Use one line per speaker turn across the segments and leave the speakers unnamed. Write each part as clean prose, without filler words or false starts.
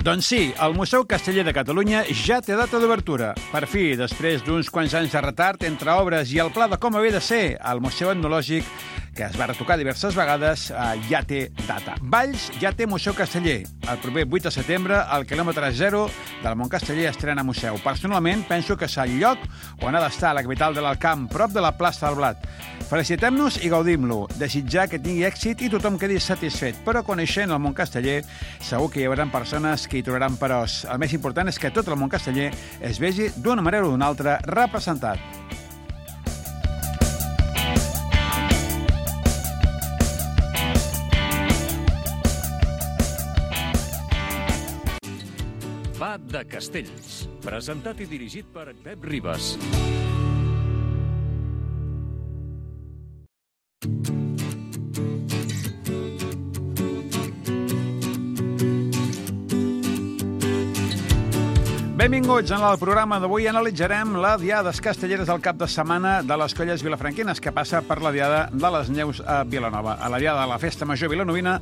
Doncs sí, el Museu Casteller de Catalunya ja té data d'obertura. Per fi, després d'uns quants anys de retard entre obres i el pla de com havia de ser el Museu Etnològic, que es va retocar diverses vegades, ja té data. Valls ja té Museu Casteller. El proper 8 de setembre, al quilòmetre 0 del Mont Casteller estrena museu. Personalment, penso que és el lloc on ha d'estar la capital de l'Alt Camp, prop de la plaça del Blat. Felicitem-nos i gaudim-lo. Desitjar que tingui èxit i tothom quedi satisfet. Però coneixent el Mont Casteller, segur que hi haurà persones que hi trobaran peròs. El més important és que tot el Mont Casteller es vegi d'una manera o d'una altra representat.
Va de Castells, presentat i dirigit per Pep Ribas.
Benvinguts. En el programa d'avui analitzarem la Diada Castelleres del cap de setmana de les Colles Vilafranquines, que passa per la Diada de les Neus a Vilanova. A la Diada de la Festa Major vilanovina,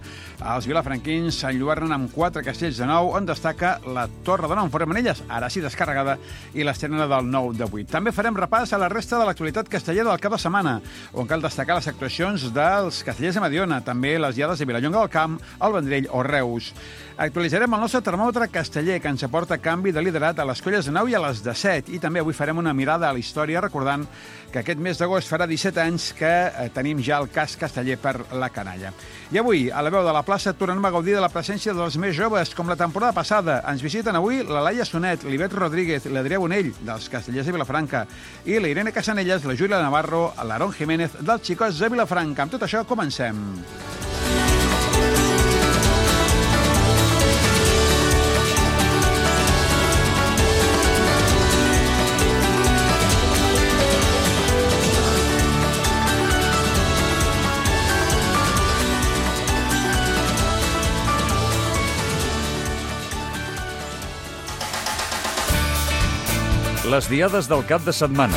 els vilafranquins s'enlluernen amb 4 castells de nou, on destaca la Torre de Nou en Formenelles, ara sí descarregada, i l'estrena del 9 de 8. També farem repàs a la resta de l'actualitat castellera del cap de setmana, on cal destacar les actuacions dels castellers de Mediona, també les Diades de Vilallonga del Camp, el Vendrell o Reus. Actualitzarem el nostre termòmetre casteller, que ens aporta canvi de liderat a les colles de 9 i a les de 7. I també avui farem una mirada a la història, recordant que aquest mes d'agost farà 17 anys que tenim ja el cas casteller per la canalla. I avui, a la veu de la plaça, tornem a gaudir de la presència dels més joves, com la temporada passada. Ens visiten avui la Laia Sonet, l'Ivet Rodríguez, l'Adrià Bonell, dels Castellers de Vilafranca, i la Irene Casanelles, la Júlia Navarro, l'Aaron Jiménez, dels Xicots de Vilafranca. Amb tot això, comencem.
Les Diades del cap de setmana.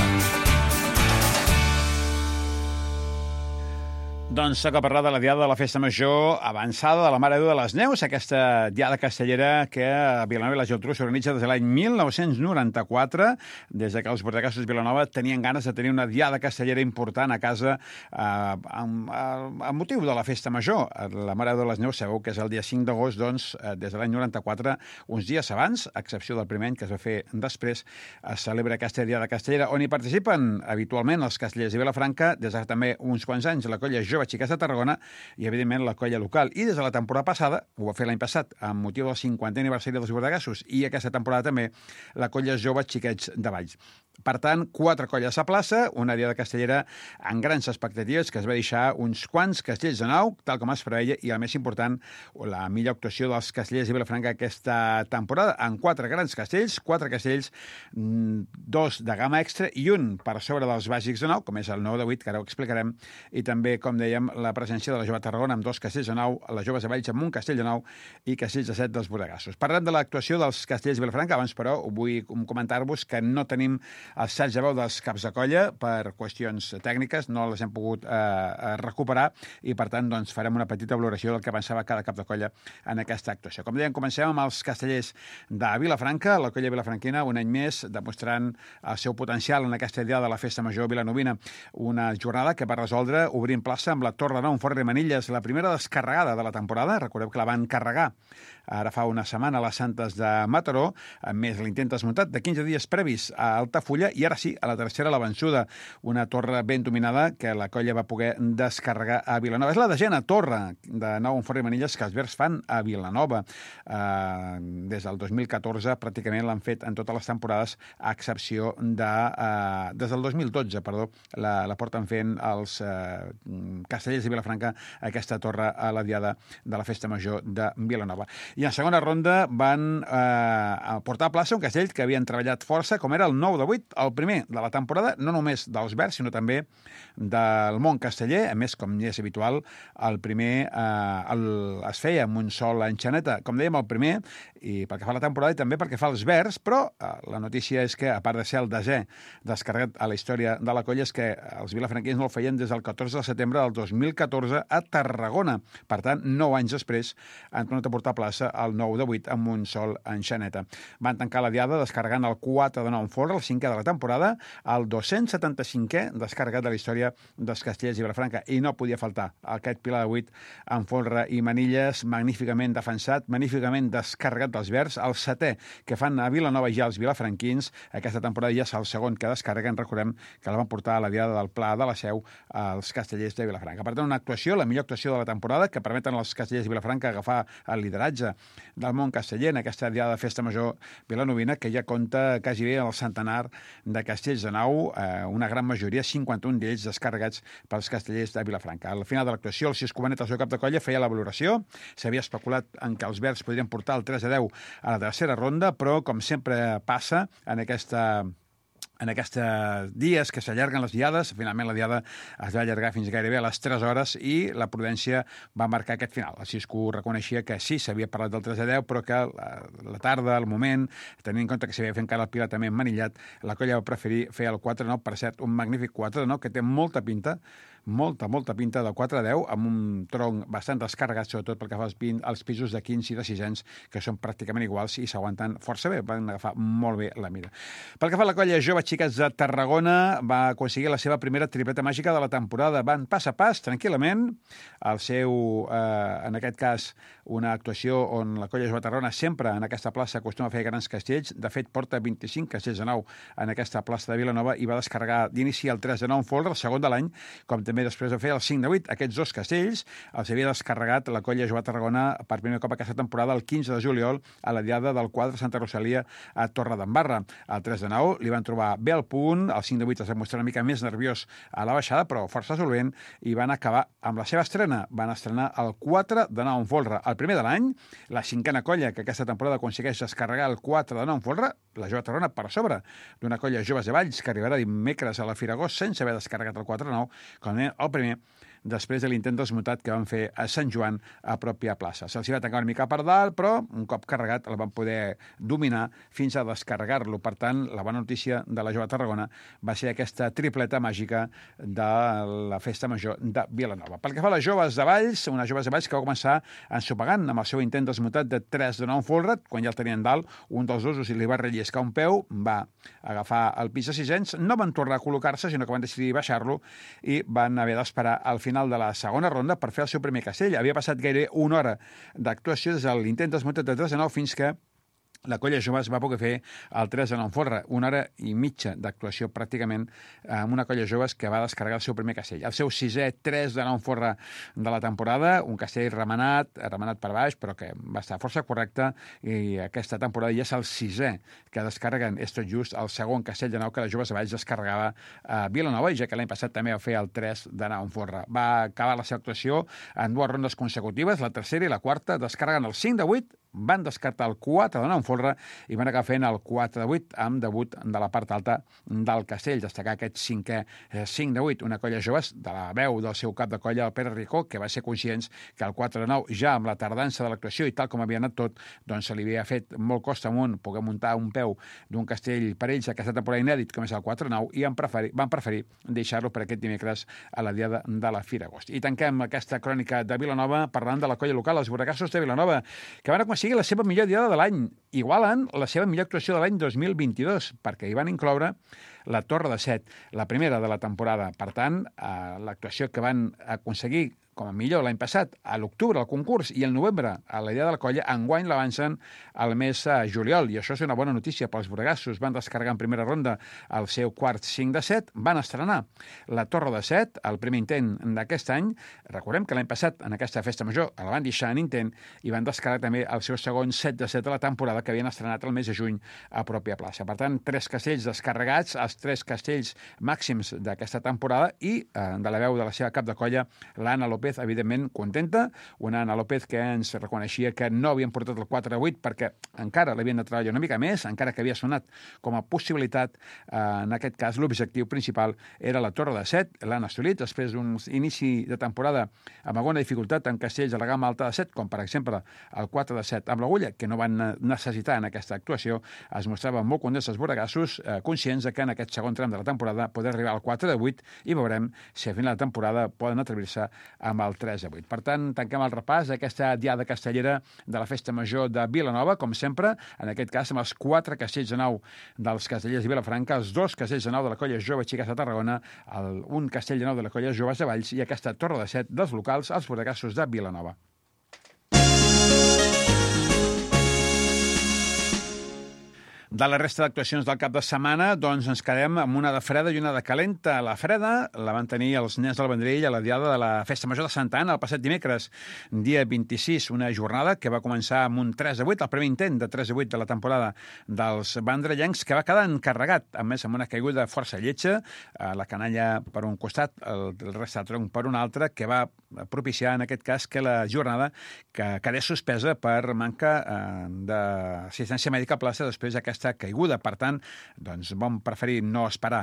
Doncs toca parlar de la Diada de la Festa Major avançada de la Mare de Déu de les Neus, aquesta Diada castellera que a Vilanova i la Geltrú s'organitza des de l'any 1994, des que els bordacassos de Vilanova tenien ganes de tenir una Diada castellera important a casa amb motiu de la Festa Major. La Mare de Déu de les Neus sabeu que és el dia 5 d'agost, doncs, des de l'any 94, uns dies abans, a excepció del primer any que es va fer després, es celebra aquesta Diada castellera, on hi participen habitualment els castellers de Vilafranca, des de també uns quants anys la colla Jove Xiquets de Tarragona i, evidentment, la colla local. I des de la temporada passada, ho va fer l'any passat, amb motiu del 50è aniversari dels Bordegassos, i aquesta temporada també la colla Jove Xiquets de Valls. Per tant, 4 colles a plaça, una Diada castellera amb grans expectatives, que es va deixar uns quants castells de nou, tal com es preveia, i el més important, la millor actuació dels castellers de Vilafranca aquesta temporada, amb 4 grans castells, 4 castells, 2 de gamma extra i un per sobre dels bàsics de nou, com és el 9 de 8, que ara ho explicarem, i també, com dèiem, la presència de la Jove Tarragona amb 2 castells de nou, les Joves de Valls amb un castell de nou i castells de 7 dels Bordegassos. Parlant de l'actuació dels castellers de Vilafranca, abans, però, vull comentar-vos que no tenim els salts de veu dels caps de colla per qüestions tècniques, no les hem pogut recuperar i, per tant, doncs, farem una petita valoració del que pensava cada cap de colla en aquesta actuació. Com dèiem, comencem amb els castellers de Vilafranca, la colla vilafranquina, un any més, demostrant el seu potencial en aquesta Diada de la Festa Major vilanovina. Una jornada que va resoldre obrint plaça amb la Torre de Nou en Formenelles, la primera descarregada de la temporada. Recordeu que la van carregar ara fa una setmana a les Santes de Mataró, amb més l'intent desmuntat de 15 dies previs a Altafulla, i ara sí, a la tercera la vençuda. Una torre ben dominada que la colla va poder descarregar a Vilanova. És la desena torre de Nou en Formenelles que els verds fan a Vilanova. Des del 2014 pràcticament l'han fet en totes les temporades, a excepció de... des del 2012, perdó, la porten fent els castellers de Vilafranca, aquesta torre a la Diada de la Festa Major de Vilanova. I en segona ronda van portar a plaça un castell que havien treballat força, com era el 9 de 8, 8, el primer de la temporada, no només dels Verds, sinó també del món casteller. A més, com ja és habitual, el primer es feia amb un sol enxaneta, com dèiem, el primer, i pel que fa a la temporada i també pel que fa als Verds, però la notícia és que, a part de ser el 10è descarregat a la història de la colla, és que els vilafranquins no el feien des del 14 de setembre del 2014 a Tarragona. Per tant, 9 anys després han tornat a portar a plaça el 9 de 8 amb un sol enxaneta. Van tancar la diada descarregant el 4 de 9 en folre, el 5è de la temporada, el 275è descarregat de la història dels Castellers i Vilafranca, i no podia faltar aquest pilar de 8 en folre i manilles, magníficament defensat, magníficament descarregat dels Verds, el 7è que fan a Vilanova ja els vilafranquins. Aquesta temporada ja és el segon que descarreguen. Recordem que la van portar a la diada del Pla de la Seu als Castellers de Vilafranca. Per tant, una actuació, la millor actuació de la temporada, que permeten als Castellers de Vilafranca agafar el lideratge del món casteller en aquesta diada de Festa Major vilanovina, que ja compta quasi bé el centenar de castells de nau, una gran majoria, 51 d'ells descarregats pels Castellers de Vilafranca. Al final de l'actuació, el Cis Cubanet, el seu cap de colla, feia la valoració. S'havia especulat en que els Verds podrien portar el 3-10 a la tercera ronda, però, com sempre passa en aquests dies que s'allarguen les diades, finalment la diada es va allargar fins gairebé a les 3 hores i la prudència va marcar aquest final. El Cisco reconeixia que sí, s'havia parlat del 3-10, però que la tarda, el moment, tenint en compte que s'havia fet encara el pilar també emmanillat, la colla va preferir fer el 4-9, per cert, un magnífic 4-9 que té molta pinta de 4-10, amb un tronc bastant descarregat, sobretot pel que fa als pisos de 15 i de 6 anys, que són pràcticament iguals i s'aguanten força bé, van agafar molt bé la mira. Pel que fa a la colla jove xiques de Tarragona, va aconseguir la seva primera tripleta màgica de la temporada. Van pas a pas, tranquil·lament, en aquest cas, una actuació on la colla jove de Tarragona sempre en aquesta plaça acostuma a fer grans castells. De fet, porta 25 castells de nau en aquesta plaça de Vilanova i va descarregar d'inici el 3 de 9 en folre, el segon de l'any, com també després de fer el 5 de 8. Aquests dos castells els havia descarregat la colla jove de Tarragona per primer cop aquesta temporada el 15 de juliol a la diada del quadre Santa Rosalia a Torredembarra. El 3 de 9 li van trobar bé al punt, el 5 de 8 es va mostrar una mica més nerviós a la baixada, però força solvent, i van acabar amb la seva estrena. Van estrenar el 4 de 9 en folre, el primer de l'any, la cinquena colla que aquesta temporada aconsegueix descarregar el 4 de 9 en folre, la jove de Tarragona per sobre d'una colla joves de Valls que arribarà dimecres a la Firagós sense haver descarregat el 4 de 9, com el primer, després de l'intent desmutat que van fer a Sant Joan a pròpia plaça. Se'ls va tancar una mica per dalt, però un cop carregat el van poder dominar fins a descarregar-lo. Per tant, la bona notícia de la jove de Tarragona va ser aquesta tripleta màgica de la Festa Major de Vilanova. Pel que fa a les joves de Valls, unes joves de Valls que va començar ensopegant amb el seu intent desmutat de 3 de 9 en folre, quan ja el tenien dalt, un dels dos li va relliscar un peu, va agafar el pis de 6 anys, no van tornar a col·locar-se, sinó que van decidir baixar-lo i van haver d'esperar al final de la segona ronda per fer el seu primer castell. Havia passat gairebé una hora d'actuació des de l'intent desmutat de 3 de 9 fins que la colla jove es va poder fer el 3 de 9 en folre, una hora i mitja d'actuació pràcticament amb una colla joves que va descarregar el seu primer castell. El seu 6è 3 de 9 en folre de la temporada, un castell remenat per baix, però que va estar força correcte, i aquesta temporada ja és el 6è que descarreguen. És tot just el segon castell de 9 que la joves de Valls descarregava a Vilanova, i ja que l'any passat també va fer el 3 de 9 en folre. Va acabar la seva actuació en 2 rondes consecutives, la tercera i la quarta, descarregant el 5 de 8, van descartar el 4 de 9 en folre i van acabar fent el 4 de 8 amb debut de la part alta del castell. Destacar aquest 5 de 8, una colla joves de la veu del seu cap de colla, el Pere Ricó, que va ser conscients que el 4 de 9, ja amb la tardança de l'actuació i tal com havia anat tot, doncs se li havia fet molt costa amunt poder muntar un peu d'un castell per ells aquesta temporada inèdit com és el 4 de 9, i van preferir deixar-lo per aquest dimecres a la diada de la Firagost. I tanquem aquesta crònica de Vilanova parlant de la colla local, els Borracassos de Vilanova, que van aconseguir la seva millor diada de l'any. Igualen la seva millor actuació de l'any 2022, perquè hi van incloure la Torre de Set, la primera de la temporada. Per tant, l'actuació que van aconseguir com a millor l'any passat, a l'octubre, al concurs, i al novembre, a la idea de la colla, enguany l'avancen al mes juliol, i això és una bona notícia pels borregassos. Van descarregar en primera ronda el seu quart 5 de 7, van estrenar la Torre de Set, el primer intent d'aquest any. Recordem que l'any passat, en aquesta festa major, la van deixar en intent, i van descarregar també el seu segon 7 de 7 de la temporada, que havien estrenat el mes de juny a pròpia plaça. Per tant, 3 castells descarregats, els 3 castells màxims d'aquesta temporada, i de la veu de la seva cap de colla, l'Anna López, López, evidentment, contenta. Una Anna López que ens reconeixia que no havien portat el 4 a 8 perquè encara l'havien de treballar una mica més, encara que havia sonat com a possibilitat. En aquest cas, l'objectiu principal era la torre de 7. L'han assolit després d'un inici de temporada amb alguna dificultat en castells a la gamma alta de 7, com per exemple el 4 de 7 amb l'agulla, que no van necessitar en aquesta actuació. Es mostraven molt contents els borregassos, conscients que en aquest segon tram de la temporada poder arribar al 4 de 8 i veurem si a final de temporada poden atrevir-se amb el 3 de 8. Per tant, tanquem el repàs d'aquesta diada castellera de la Festa Major de Vilanova, com sempre, en aquest cas amb els 4 castells de nau dels castellers de Vilafranca, els 2 castells de nau de la colla Jove Xiques de Tarragona, un castell de nau de la colla Joves de Valls i aquesta torre de 7 dels locals, els borregassos de Vilanova. De la resta d'actuacions del cap de setmana, doncs ens quedem amb una de freda i una de calenta. La freda la van tenir els nens del Vendrell a la diada de la Festa Major de Santa Anna el passat dimecres, dia 26, una jornada que va començar amb un 3 de 8, el primer intent de 3 de 8 de la temporada dels vendrellencs, que va quedar encarregat, a més amb una caiguda força lletja, la canalla per un costat, el resta de tronc per un altre, que va propiciar en aquest cas que la jornada que quedés suspesa per manca d'assistència mèdica a plaça després d'aquesta caiguda. Per tant, doncs vam preferir no esperar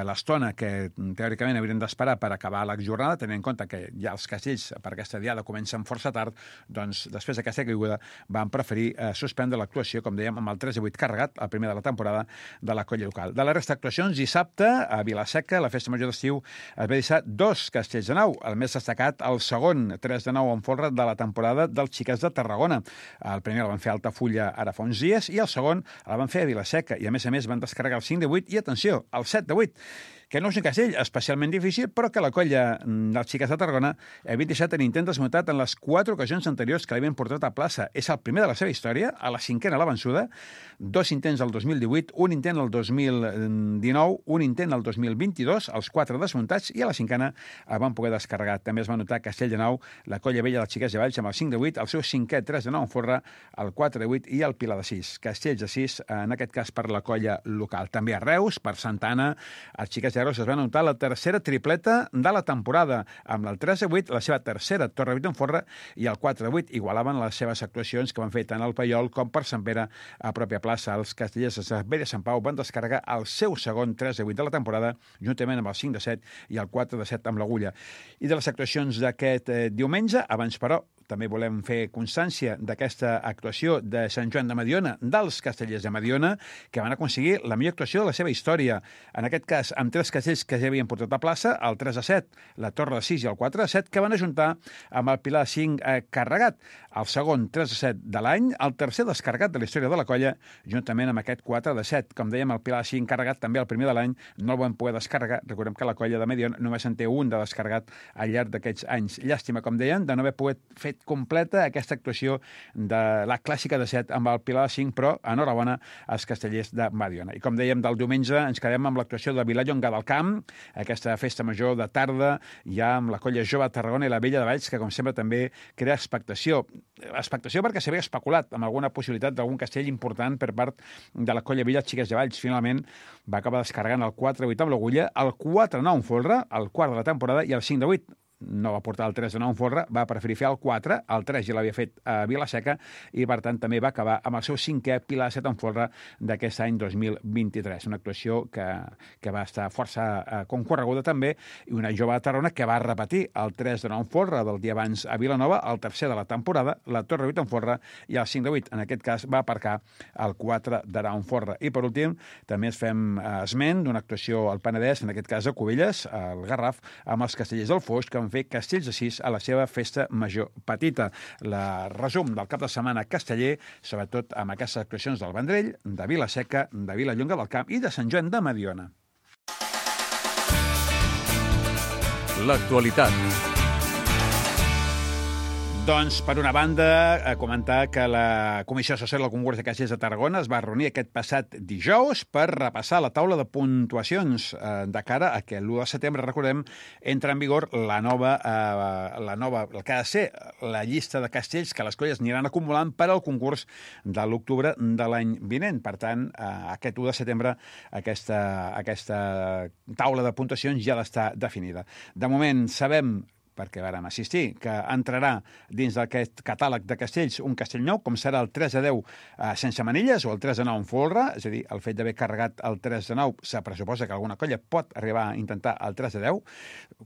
l'estona que teòricament haurien d'esperar per acabar la jornada, tenint en compte que ja els castells per aquesta diada comencen força tard, doncs després d'aquesta caiguda vam preferir suspendre l'actuació, com dèiem, amb el 3 de 8 carregat, el primer de la temporada de la colla local. De la resta d'actuacions, dissabte, a Vila-seca, la Festa Major d'estiu, es va deixar 2 castells de nau. El més destacat, el segon 3 de nau en folre de la temporada dels Xiques de Tarragona. El primer el van fer a Altafulla ara fa uns dies i el segon el van fer a Vila-seca i a més van descarregar el 5 de 8 i, atenció, el 7 de 8, que no és un castell especialment difícil, però que la colla dels Xiques de Tarragona havia deixat en intent desmuntat en les 4 ocasions anteriors que l'havien portat a plaça. És el primer de la seva història, a la 5a la vençuda, 2 intents el 2018, un intent el 2019, un intent el 2022, els 4 desmuntats, i a la 5a van poder descarregar. També es va notar Castell de Nau, la colla vella dels Xiques de Valls, amb el 5 de 8, el seu 5è 3 de 9 en folre, el 4 de 8 i el Pilar de 6. Castells de 6, en aquest cas per la colla local. També a Reus, per Santa Anna, els Xiques de Reus es van anotar la tercera tripleta de la temporada, amb el 3 de 8, la seva tercera torre de 8 en folre, i el 4 de 8 igualaven les seves actuacions que van fer tant al Paiol com per Sant Pere a pròpia plaça. Els castellers de Vella Sant Pau van descarregar el seu segon 3 de 8 de la temporada, juntament amb el 5 de 7 i el 4 de 7 amb l'agulla. I de les actuacions d'aquest diumenge, abans però, també volem fer constància d'aquesta actuació de Sant Joan de Mediona, dels castellers de Mediona, que van aconseguir la millor actuació de la seva història. En aquest cas, amb 3 castells que ja havien portat a plaça, el 3 de 7, la torre de 6 i el 4 de 7, que van ajuntar amb el Pilar de 5 carregat. El segon 3 de 7 de l'any, el tercer descarregat de la història de la colla, juntament amb aquest 4 de 7. Com dèiem, el Pilar de 5 carregat, també el primer de l'any, no el van poder descarregar. Recordem que la colla de Mediona només en té un de descarregat al llarg d'aquests anys. Llàstima, com deien, de no haver pogut fer completa aquesta actuació de la clàssica de 7 amb el Pilar de 5, però enhorabona als castellers de Mediona. I com dèiem, del diumenge ens quedem amb l'actuació de Vilallonga del Camp, aquesta festa major de tarda, ja amb la colla Jove de Tarragona i la Vella de Valls, que com sempre també crea expectació. Expectació perquè s'havia especulat amb alguna possibilitat d'algun castell important per part de la colla Vella Xiques de Valls. Finalment va acabar descarregant el 4-8 amb l'agulla, el 4-9 en folre, el quart de la temporada, i el 5-8 no va portar el 3 de 9 en folre, va preferir fer el 4, el 3 ja l'havia fet a Vila-seca, i per tant també va acabar amb el seu 5è Pilar de 7 en folre d'aquest any 2023. Una actuació que va estar força concorreguda també, i una Jove de Tarragona que va repetir el 3 de 9 en folre del dia abans a Vilanova, el tercer de la temporada, la torre 8 en folre, i el 5 de 8, en aquest cas, va aparcar el 4 de 9 en folre. I per últim, també ens fem esment d'una actuació al Penedès, en aquest cas a Cubelles, al Garraf, amb els castellers del Foix, que van fer castells de 6 a la seva festa major petita. La resum del cap de setmana casteller, sobretot amb aquestes actuacions del Vendrell, de Vila-seca, de Vilallonga del Camp i de Sant Joan de Mediona.
L'actualitat.
Doncs, per una banda, comentar que la Comissió Assessora del Concurs de Castells de Tarragona es va reunir aquest passat dijous per repassar la taula de puntuacions de cara a que l'1 de setembre, recordem, entra en vigor la nova, el que ha de ser la llista de castells que les colles aniran acumulant per al concurs de l'octubre de l'any vinent. Per tant, aquest 1 de setembre aquesta taula de puntuacions ja ha d'estar definida. De moment, sabem perquè vàrem assistir, que entrarà dins d'aquest catàleg de castells un castell nou, com serà el 3 de 10 sense manilles o el 3 de 9 en folre, és a dir, el fet d'haver carregat el 3 de 9 se pressuposa que alguna colla pot arribar a intentar el 3 de 10,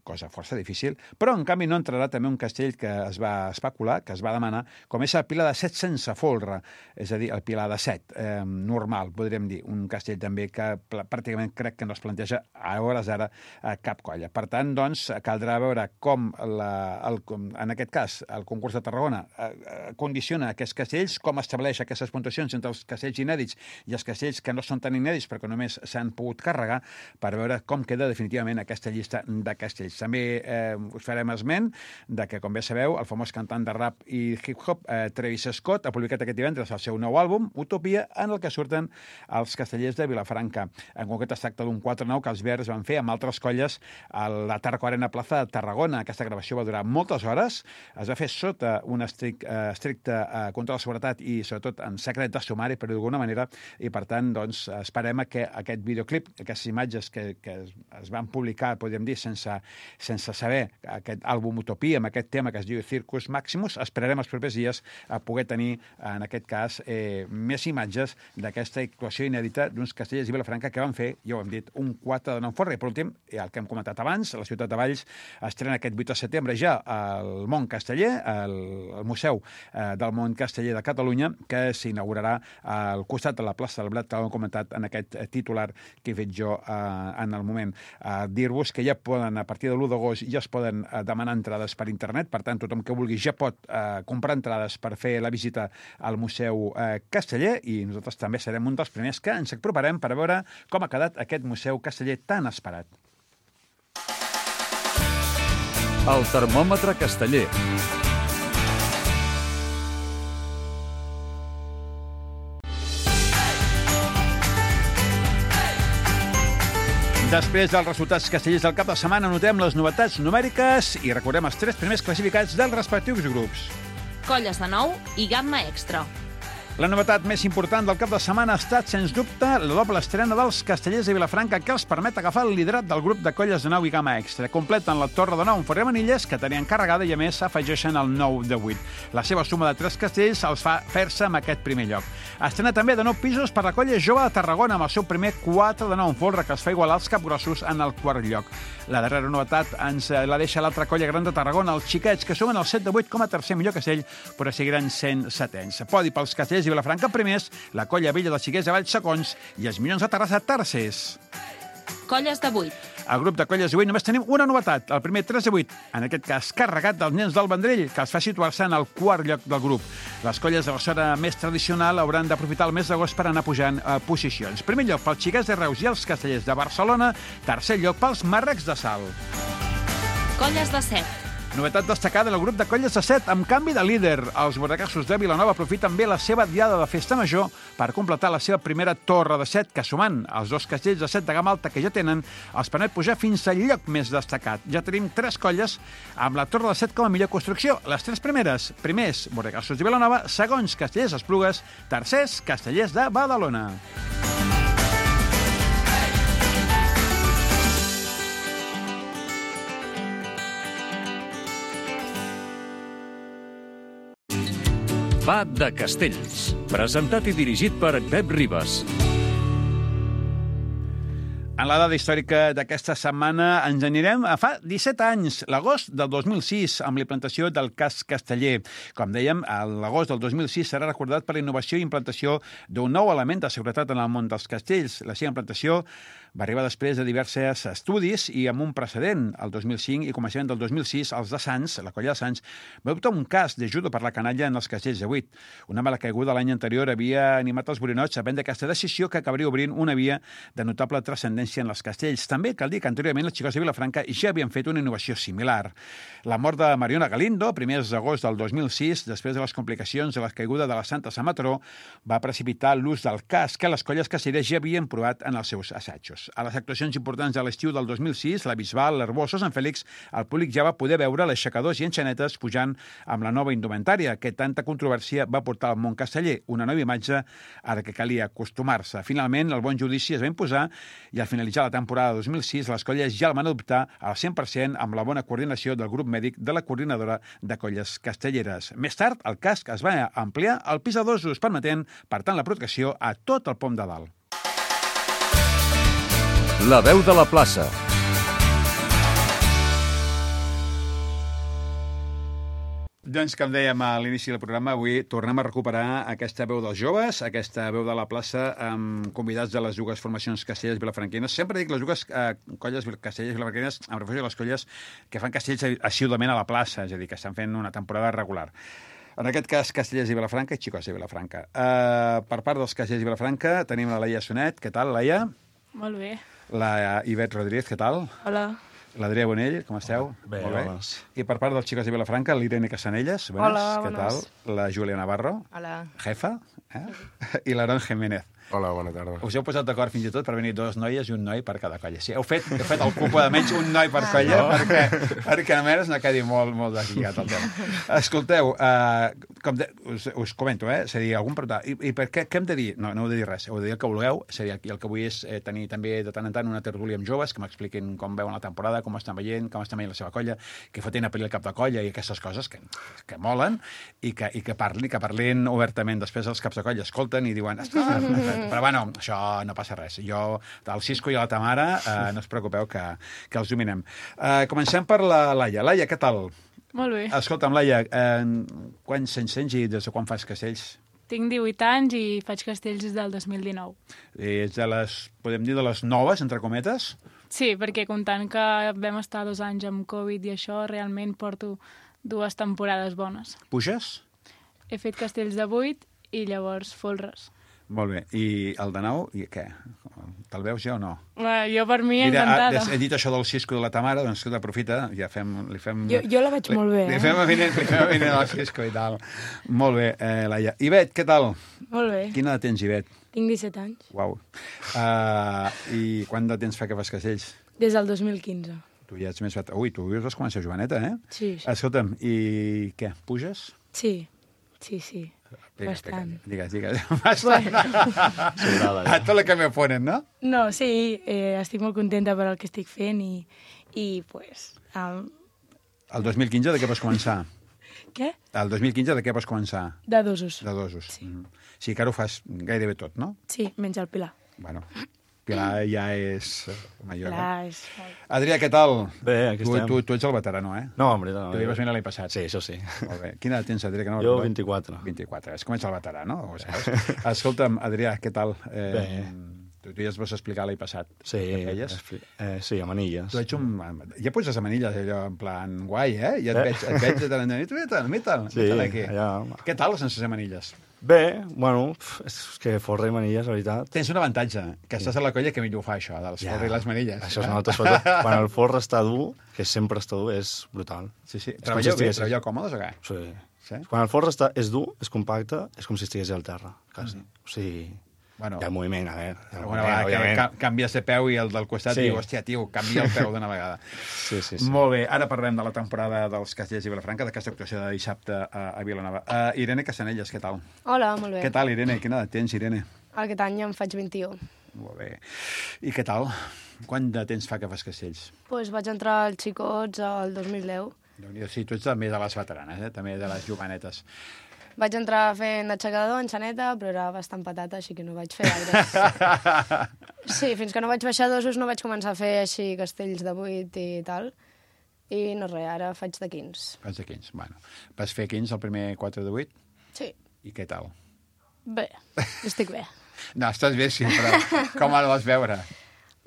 cosa força difícil, però en canvi no entrarà també un castell que es va especular, que es va demanar, com és el pilar de 7 sense folre, és a dir, el pilar de 7, normal, podríem dir, un castell també que pràcticament crec que no es planteja a hores d'ara cap colla. Per tant, doncs, caldrà veure com, en aquest cas, el concurs de Tarragona condiciona aquests castells, com estableix aquestes puntuacions entre els castells inèdits i els castells que no són tan inèdits perquè només s'han pogut carregar, per veure com queda definitivament aquesta llista de castells. També us farem esment de que, com bé sabeu, el famós cantant de rap i hip-hop Travis Scott ha publicat aquest divendres el seu nou àlbum, Utopia, en el que surten els castellers de Vilafranca. En concret es tracta d'un 4-9 que els Verds van fer amb altres colles a la Tarco Arena Plaza de Tarragona. Aquesta gravació va durar moltes hores, es va fer sota un estricte control de seguretat i sobretot en secret de sumari, per d'alguna manera, i per tant doncs, esperem que aquest videoclip, aquestes imatges que es van publicar, podríem dir, sense saber aquest àlbum Utopia, amb aquest tema que es diu Circus Maximus, esperarem els propers dies a poder tenir, en aquest cas, més imatges d'aquesta actuació inèdita d'uns castellers de Vilafranca que van fer, ja ho hem dit, un 4 de 9 folre. I per últim, el que hem comentat abans, la ciutat de Valls estrena aquest 8 de setembre ja el Món Casteller, el Museu del Món Casteller de Catalunya, que s'inaugurarà al costat de la plaça del Blat, que ho hem comentat en aquest titular que he fet jo en el moment. Dir-vos que ja poden, a partir de l'1 d'agost, ja es poden demanar entrades per internet, per tant, tothom que vulgui ja pot comprar entrades per fer la visita al Museu Casteller, i nosaltres també serem un dels primers que ens aproparem per veure com ha quedat aquest Museu Casteller tan esperat.
El termòmetre casteller.
Després dels resultats castellers del cap de setmana, notem les novetats numèriques i recordem els 3 primers classificats dels respectius grups.
Colles de nou i gamma extra.
La novetat més important del cap de setmana ha estat, sens dubte, la doble estrena dels castellers de Vilafranca, que els permet agafar el liderat del grup de colles de 9 i gamma extra. Completen la torre de 9 amb Forre Manilles, que tenien carregada, i a més s'afegeixen el 9 de 8. La seva suma de 3 castells els fa fer-se amb aquest primer lloc. Estrena també de 9 pisos per la colla jove de Tarragona, amb el seu primer 4 de 9 en folre, que es fa igualar als capgrossos en el quart lloc. La darrera novetat ens la deixa l'altra colla gran de Tarragona, els Xiquets, que sumen el 7 de 8 com a tercer millor castell, però seguiran sent setens. Podi pels castellers i Vilafranca primers, la colla vella dels Xiquets de Valls segons i els Minyons de Terrassa tercers.
Colles de 8.
Al grup de colles de 8 només tenim una novetat, el primer 3 de 8, en aquest cas carregat dels nens del Vendrell, que els fa situar-se en el quart lloc del grup. Les colles de la zona més tradicional hauran d'aprofitar el mes d'agost per anar pujant posicions. Primer lloc pels Xiquets de Reus i els castellers de Barcelona, tercer lloc pels Marrecs de Salt.
Colles de 7.
Novetat destacada en el grup de colles de 7, amb canvi de líder. Els bordacassos de Vilanova aprofiten bé la seva diada de festa major per completar la seva primera torre de 7, que sumant els 2 castells de 7 de gamma alta que ja tenen, els permet pujar fins al lloc més destacat. Ja tenim 3 colles amb la torre de 7 com a millor construcció. Les 3 primers, bordacassos de Vilanova, segons castellers Esplugues, tercers, castellers de Badalona.
Va de Castells. Presentat i dirigit per Pep Ribas.
En la dada històrica d'aquesta setmana ens anirem a fa 17 anys, l'agost del 2006, amb la implantació del casc casteller. Com dèiem, l'agost del 2006 serà recordat per la innovació i implantació d'un nou element de seguretat en el món dels castells. La seva implantació va arribar després de diversos estudis i amb un precedent. El 2005 i començament del 2006, els de Sants, la colla de Sants, va optar un cas de judo per la canalla en els castells de 8. Una mala caiguda l'any anterior havia animat els borinots a prendre aquesta decisió que acabaria obrint una via de notable transcendència en els castells. També cal dir que anteriorment els Xicots de Vilafranca ja havien fet una innovació similar. La mort de Mariona Galindo, primers d'agost del 2006, després de les complicacions de la caiguda de la Santa Sant Matró, va precipitar l'ús del casc que les colles castelleres ja havien provat en els seus assajos. A les actuacions importants de l'estiu del 2006, la Bisbal, l'Herbosa, Sant Fèlix, el públic ja va poder veure les aixecadors i enxanetes pujant amb la nova indumentària, que tanta controvèrsia va portar al món casteller, una nova imatge a la que calia acostumar-se. Finalment, el bon judici es va imposar i al finalitzar la temporada 2006, les colles ja el van adoptar al 100% amb la bona coordinació del grup mèdic de la coordinadora de colles castelleres. Més tard, el casc es va ampliar al pis de dosos, permetent, per tant, la protecció a tot el pom de dalt.
La veu de la plaça.
Doncs, com dèiem a l'inici del programa, avui tornem a recuperar aquesta veu dels joves, aquesta veu de la plaça, amb convidats de les dues formacions castellers vilafranquines. Sempre dic les dues colles castellers vilafranquines, em refereixo a les colles que fan castells assíduament a la plaça, és a dir, que estan fent una temporada regular. En aquest cas, Castellers i Vilafranca i Xicos i Vilafranca. Per part dels Castellers i Vilafranca tenim la Laia Sonet. Què tal, Laia?
Molt bé.
La Ivet Rodríguez, què tal?
Hola.
L'Adrià Bonell, com esteu?
Bé,
molt bé.
hola.
I per part dels Xicos de Vilafranca, l'Irene Casanelles. Bones.
Hola,
què
bones.
tal? La Júlia Navarro.
Hola.
Jefa. I l'Aaron Jiménez.
Hola, bona tarda.
Us heu posat d'acord fins i tot per venir dos noies i un noi per cada colla. Sí, heu fet el cupo de menys un noi per colla perquè almenys no quedi molt deslligat el tema. Escolteu, us comento, és a dir, algun preguntar, i per què hem de dir? No heu de dir res, heu de dir el que vulgueu, és a dir, el que vull és tenir també de tant en tant una tertúlia amb joves que m'expliquin com veuen la temporada, com estan veient la seva colla, que fotin a pel·li el cap de colla i aquestes coses que molen i que parlin obertament. Després els caps de colla escolten i diuen però bueno, això no passa res. Jo, el Cisco i la Tamara, no us preocupeu que els dominem. Comencem per la Laia. Laia, què tal?
Molt bé.
Escolta'm, Laia, quants anys tens i des de quan fas castells?
Tinc 18 anys i faig castells des del 2019.
És de les, podem dir, de les noves, entre cometes?
Sí, perquè comptant que vam estar 2 anys amb Covid i això, realment porto 2 temporades bones.
Puges?
He fet castells de 8 i llavors folres.
Molt bé. I el de 9, i què? Te'l veus ja o no?
Jo per mi encantada.
He dit això del Cisco de la Tamara, doncs escolta, aprofita, ja li fem...
Jo la veig molt bé,
Li fem avinent al Cisco i tal. Molt bé, Laia. Ivet, què tal?
Molt bé.
Quina edat tens, Ivet?
Tinc 17 anys.
Uau. I quant de temps fa que fas castells?
Des del 2015.
Tu ja ets més... Ui, tu vas començar joveneta, eh?
Sí.
Escolta'm, i què, puges?
Sí. Bastant.
Digues. Bastant. A tot el que me ponen, no?
No, sí, estic molt contenta per el que estic fent i pues...
El 2015 de què vas començar?
Què?
El 2015 de què vas començar?
De dosos.
De dosos.
Sí.
Sí, que ara ho fas gairebé tot, no?
Sí, menys el Pilar.
Bueno, Pilar ja és major.
Pilar és...
Adrià, què tal?
Bé, aquí estem.
Tu ets el veterano, eh?
No, hombre, no.
Tu li vas venir l'any passat.
Sí, això sí.
Molt bé. Quina edat tens, Adrià?
Jo, 24.
24. És com ets el veterano, ho saps? Escolta'm, Adrià, què tal?
Bé.
Tu ja es vas explicar l'any passat.
Sí, sí, a manilles.
Tu ets ja poses a manilles, allò, en plan guai, eh? Ja et veig de tant en tant. Mire'l,
Sí,
aquí.
allà...
Què tal sense manilles?
Bé, bueno, és que forra i manilles, la veritat.
Tens un avantatge, que estàs a la colla que millor ho fa, això, dels forra i les manilles.
Això es nota, sobretot quan el forra està dur, que sempre està dur, és brutal.
Sí.
Treballeu
còmodes o què?
Sí. Quan el forra és dur, és compacte, és com si estigués al terra, quasi. O sigui...
Bueno,
hi ha moviment, a veure.
Alguna vegada que canvies de peu i el del costat diu, hòstia, tio, canvia el peu d'una vegada.
Sí.
Molt bé, ara parlem de la temporada dels Castellers i Vilafranca, d'aquesta actuació de dissabte a Vilanova. Irene Casanelles, què tal?
Hola, molt bé.
Què tal, Irene? Quina edat tens, Irene?
Aquest any em faig 21.
Molt bé. I què tal? Quant de temps fa que fas castells?
Pues vaig entrar als xicots el 2010.
Sí, tu ets també de les veteranes, també de les jovenetes.
Vaig entrar fent aixecador, enxaneta, però era bastant patata, així que no vaig fer gaire. Sí, fins que no vaig baixar dosos no vaig començar a fer així castells de 8 i tal. I no res, ara faig de 15.
Faig de 15, bueno. Vas fer 15 el primer 4 de 8?
Sí.
I què tal?
Bé, estic bé.
No, estàs bé, sí, però com el vas veure?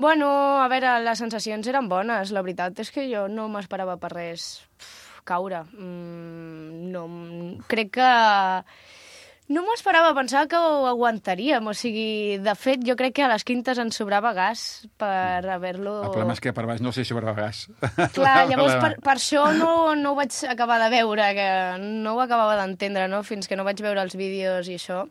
Bueno, a veure, les sensacions eren bones. La veritat és que jo no m'esperava per res caure. No, crec que... No m'ho esperava, pensava que ho aguantaríem. O sigui, de fet, jo crec que a les quintes ens sobrava gas per haver-lo...
El problema és que per baix no sé si sobrava gas.
Clar, llavors per això no ho vaig acabar de veure, que no ho acabava d'entendre, no? Fins que no vaig veure els vídeos i això.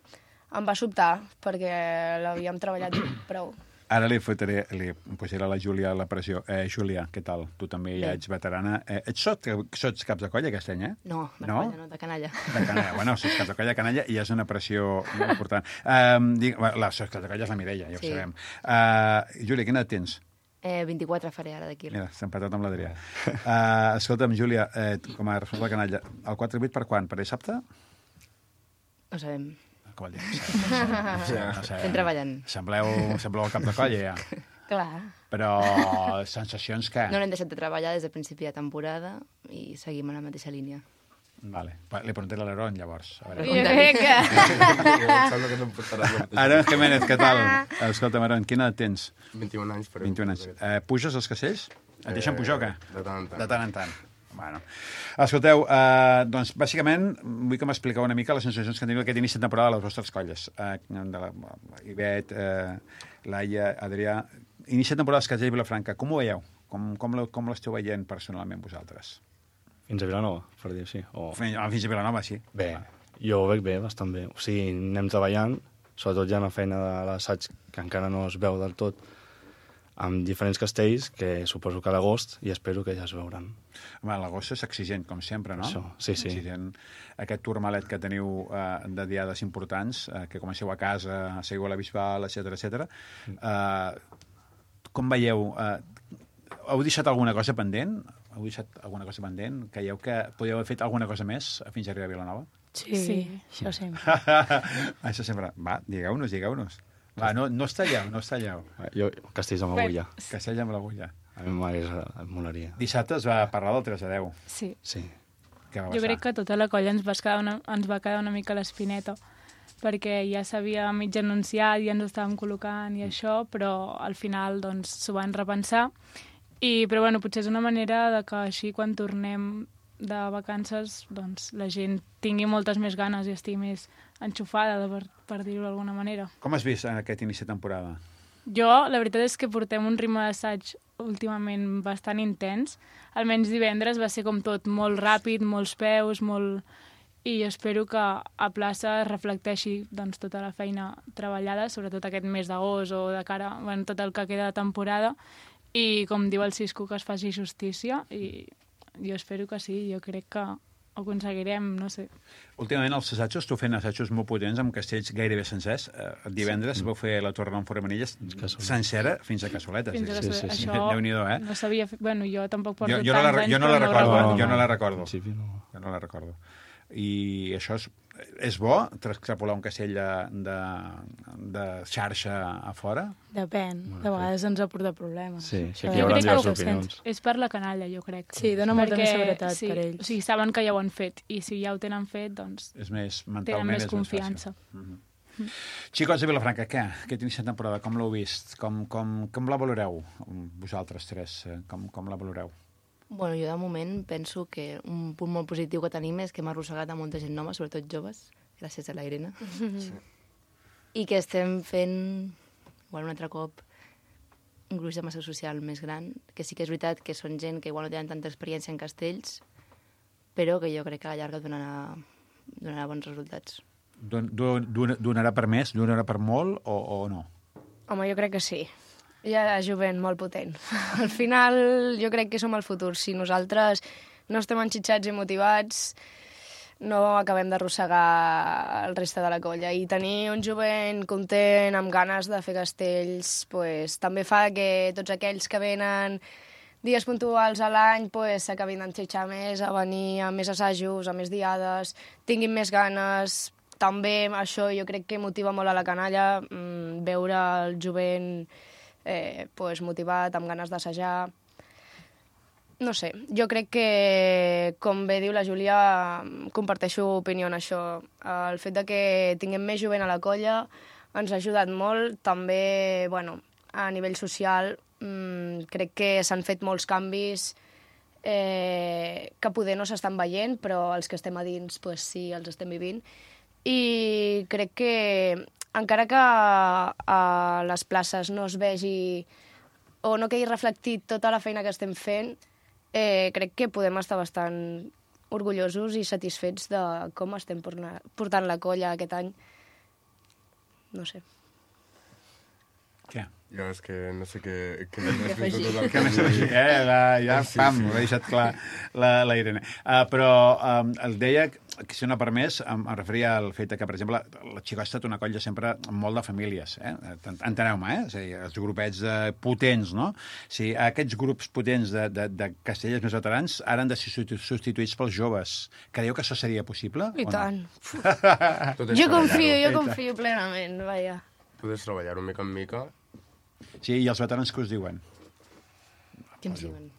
Em va sobtar, perquè l'havíem treballat prou.
Ara li posaré a la Júlia la pressió. Júlia, què tal? Tu també ja ets veterana. Sots caps de colla aquest any, eh?
No, de colla, no, de canalla.
De canalla. Bueno, sots caps de colla, canalla, i és una pressió molt important. Sots caps de colla és la Mireia, ja ho sabem. Júlia, quina edat tens?
24 faré ara d'aquí.
Mira, s'ha empatat amb l'Adrià. Escolta'm, Júlia, com a responsable de canalla, el 4-8 per quan? Per dissabte?
No sabem.
Com vol dir?
Estem treballant.
Sembleu el cap de colla, ja.
Clar.
Però sensacions que...
No n'hem deixat de treballar des del principi de temporada i seguim a la mateixa línia.
Vale. Li preguntaré a l'Aaron, llavors. A veure.
Jo crec que...
Aaron Jiménez, què tal? Escolta'm, Aaron, quina edat tens?
21 anys.
21 anys. Puges als castells? Et deixen pujar o què?
De tant en tant.
De tant en tant. Bueno. Escolteu, doncs, bàsicament, vull que m'expliqueu una mica les sensacions que teniu aquest inici de temporada de les vostres colles. De la Ivet, Laia, Adrià... Inici de temporada dels Castells i Vilafranca, com ho veieu? Com l'esteu veient personalment vosaltres?
Fins a Vilanova, per dir sí.
Fins a Vilanova, sí.
Bé, jo ho veig bé, bastant bé. O sigui, anem treballant, sobretot ja una feina de l'assaig que encara no es veu del tot, amb diferents castells, que suposo que a l'agost, i espero que ja es veuran.
Home, l'agost és exigent, com sempre, no?
Això, sí.
Exigent. Aquest turmalet que teniu de diades importants, que comenceu a casa, seguiu a la Bisbal, etc. Com veieu? Heu deixat alguna cosa pendent? Creieu que podíeu haver fet alguna cosa més fins a arribar a Vilanova?
Sí, això sempre.
Això sempre. Va, digueu-nos. Va, no us talleu.
Jo, castells amb agulla.
Castell amb l'agulla.
A mi em molaria.
Dissabte es va parlar del 3-10.
Sí.
Què va passar?
Jo crec que tota la colla ens va quedar una mica a l'espineta, perquè ja s'havia mig anunciat, ja ens estàvem col·locant i això, però al final doncs s'ho van repensar. Però bueno, potser és una manera de que així quan tornem de vacances doncs la gent tingui moltes més ganes i estigui més enxufada, per dir-ho d'alguna manera.
Com has vist en aquest inici de temporada?
Jo, la veritat és que portem un ritme d'assaig últimament bastant intens. Almenys divendres va ser com tot molt ràpid, molts peus, i espero que a plaça es reflecteixi doncs, tota la feina treballada, sobretot aquest mes d'agost o de cara a tot el que queda de temporada, i com diu el Cisco, que es faci justícia, i jo espero que sí, jo crec que ho aconseguirem, no sé.
Últimament els assajos, tu fent assajos molt potents amb castells gairebé sencers. Divendres vau fer la Torre d'en Foramanilles sencera fins a cassoletes.
Fins a cassoletes.
Sí.
Això
Déu-n'hi-do,
no sabia fer... Bueno, jo tampoc porto
jo
tants anys,
jo no la recordo.
Jo
no la recordo. I això és bo, extrapolar un castell de xarxa a fora?
Depèn, de vegades ens ha portat problemes.
Sí, aquí hi haurà diverses opinions.
És per la canalla, jo crec.
Sí, dona molta més seguretat per ells.
O sigui, saben que ja ho han fet, i si ja ho tenen fet, doncs
és més, mentalment
tenen més
és
confiança.
Xicos de Vilafranca, què? Aquest inici de temporada, com l'heu vist? Com la valoreu, vosaltres tres? Com la valoreu?
Bueno, jo de moment penso que un punt molt positiu que tenim és que hem arrossegat a molta gent nova, sobretot joves, gràcies a la Irene. I que estem fent, igual un altre cop, un gruix de massa social més gran, que sí que és veritat que són gent que igual no tenen tanta experiència en castells, però que jo crec que a la llarga donarà bons resultats.
Donarà per més, donarà per molt o no?
Home, jo crec que sí. Hi ha jovent molt potent. Al final, jo crec que som el futur. Si nosaltres no estem enxitxats i motivats, no acabem d'arrossegar el reste de la colla. I tenir un jovent content, amb ganes de fer castells, pues, també fa que tots aquells que venen dies puntuals a l'any s'acabin d'enxitxar més, a venir a més assajos, a més diades, tinguin més ganes. També això jo crec que motiva molt a la canalla, veure el jovent motivat, amb ganes d'assajar. No sé, jo crec que, com bé diu la Júlia, comparteixo opinió en això. El fet de que tinguem més jovent a la colla ens ha ajudat molt. També, a nivell social, crec que s'han fet molts canvis que poder no s'estan veient, però els que estem a dins, sí, els estem vivint. I crec que encara que a les places no es vegi o no quedi reflectit tota la feina que estem fent, crec que podem estar bastant orgullosos i satisfets de com estem portant la colla aquest any. No sé.
Què?
Jo és que no sé què afegir.
Que més afegir, ja, pam, ho ha deixat clar la Irene. Però el deia que, si no permès, em referia al fet que, per exemple, la Xico ha estat una colla sempre molt de famílies, enteneu-me, és a dir, els grupets potents, no? Sí, aquests grups potents de castellers més veterans ara han de ser substituïts pels joves. Creieu que això seria possible?
I tant.
Jo
confio plenament, vaja.
Podes treballar-ho mica en mica.
Sí, i els veterans què us diuen?
Què ens diuen?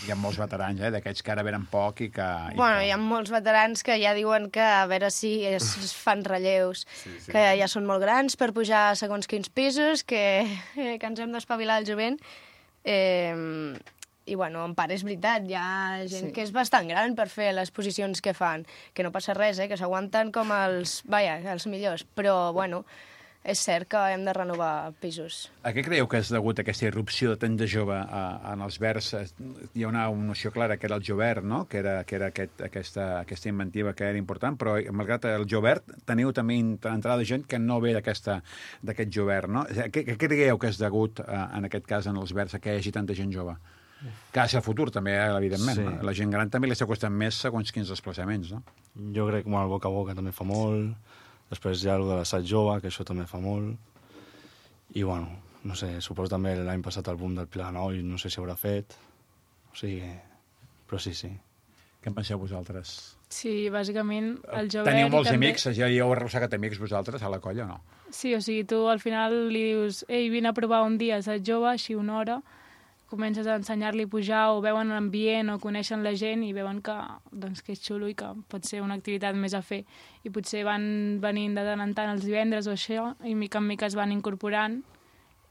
Hi ha molts veterans, d'aquests que ara venen poc i que...
Bueno, hi ha molts veterans que ja diuen que a veure si es fan relleus, que ja són molt grans per pujar a segons quins pisos, que ens hem d'espavilar el jovent. I, bueno, en part és veritat, hi ha gent que és bastant gran per fer les posicions que fan, que no passa res, que s'aguanten com els millors, però, bueno, és cert que hem de renovar pisos.
A què creieu que és degut a aquesta irrupció de tant de jove en els verds? Hi ha una noció clara, que era el jovert, no? Que era aquesta inventiva que era important, però malgrat el jovert teniu també entrada de gent que no ve d'aquest jovert, no? Què creieu que és degut, en aquest cas, en els verds, a que hi hagi tanta gent jove? Que és el futur, també, evidentment. Sí. No? La gent gran també li està costant més segons quins desplaçaments, no?
Jo crec que el boca a boca també fa molt. Després hi ha el de l'assaig jove, que això també fa molt. I, bueno, no sé, suposo també l'any passat el boom del Pilanoi, no sé si haurà fet. O sigui, però sí.
Què en penseu vosaltres?
Sí, bàsicament el jovent...
Teniu molts
també...
amics, ja heu arrossegat amics vosaltres a la colla o no?
Sí, o sigui, tu al final li dius ei, vine a provar un dia assaig jove, així una hora, comences a ensenyar-li a pujar o veuen l'ambient o coneixen la gent i veuen que és xulo i que pot ser una activitat més a fer. I potser van venint de tant en tant els divendres o això i mica en mica es van incorporant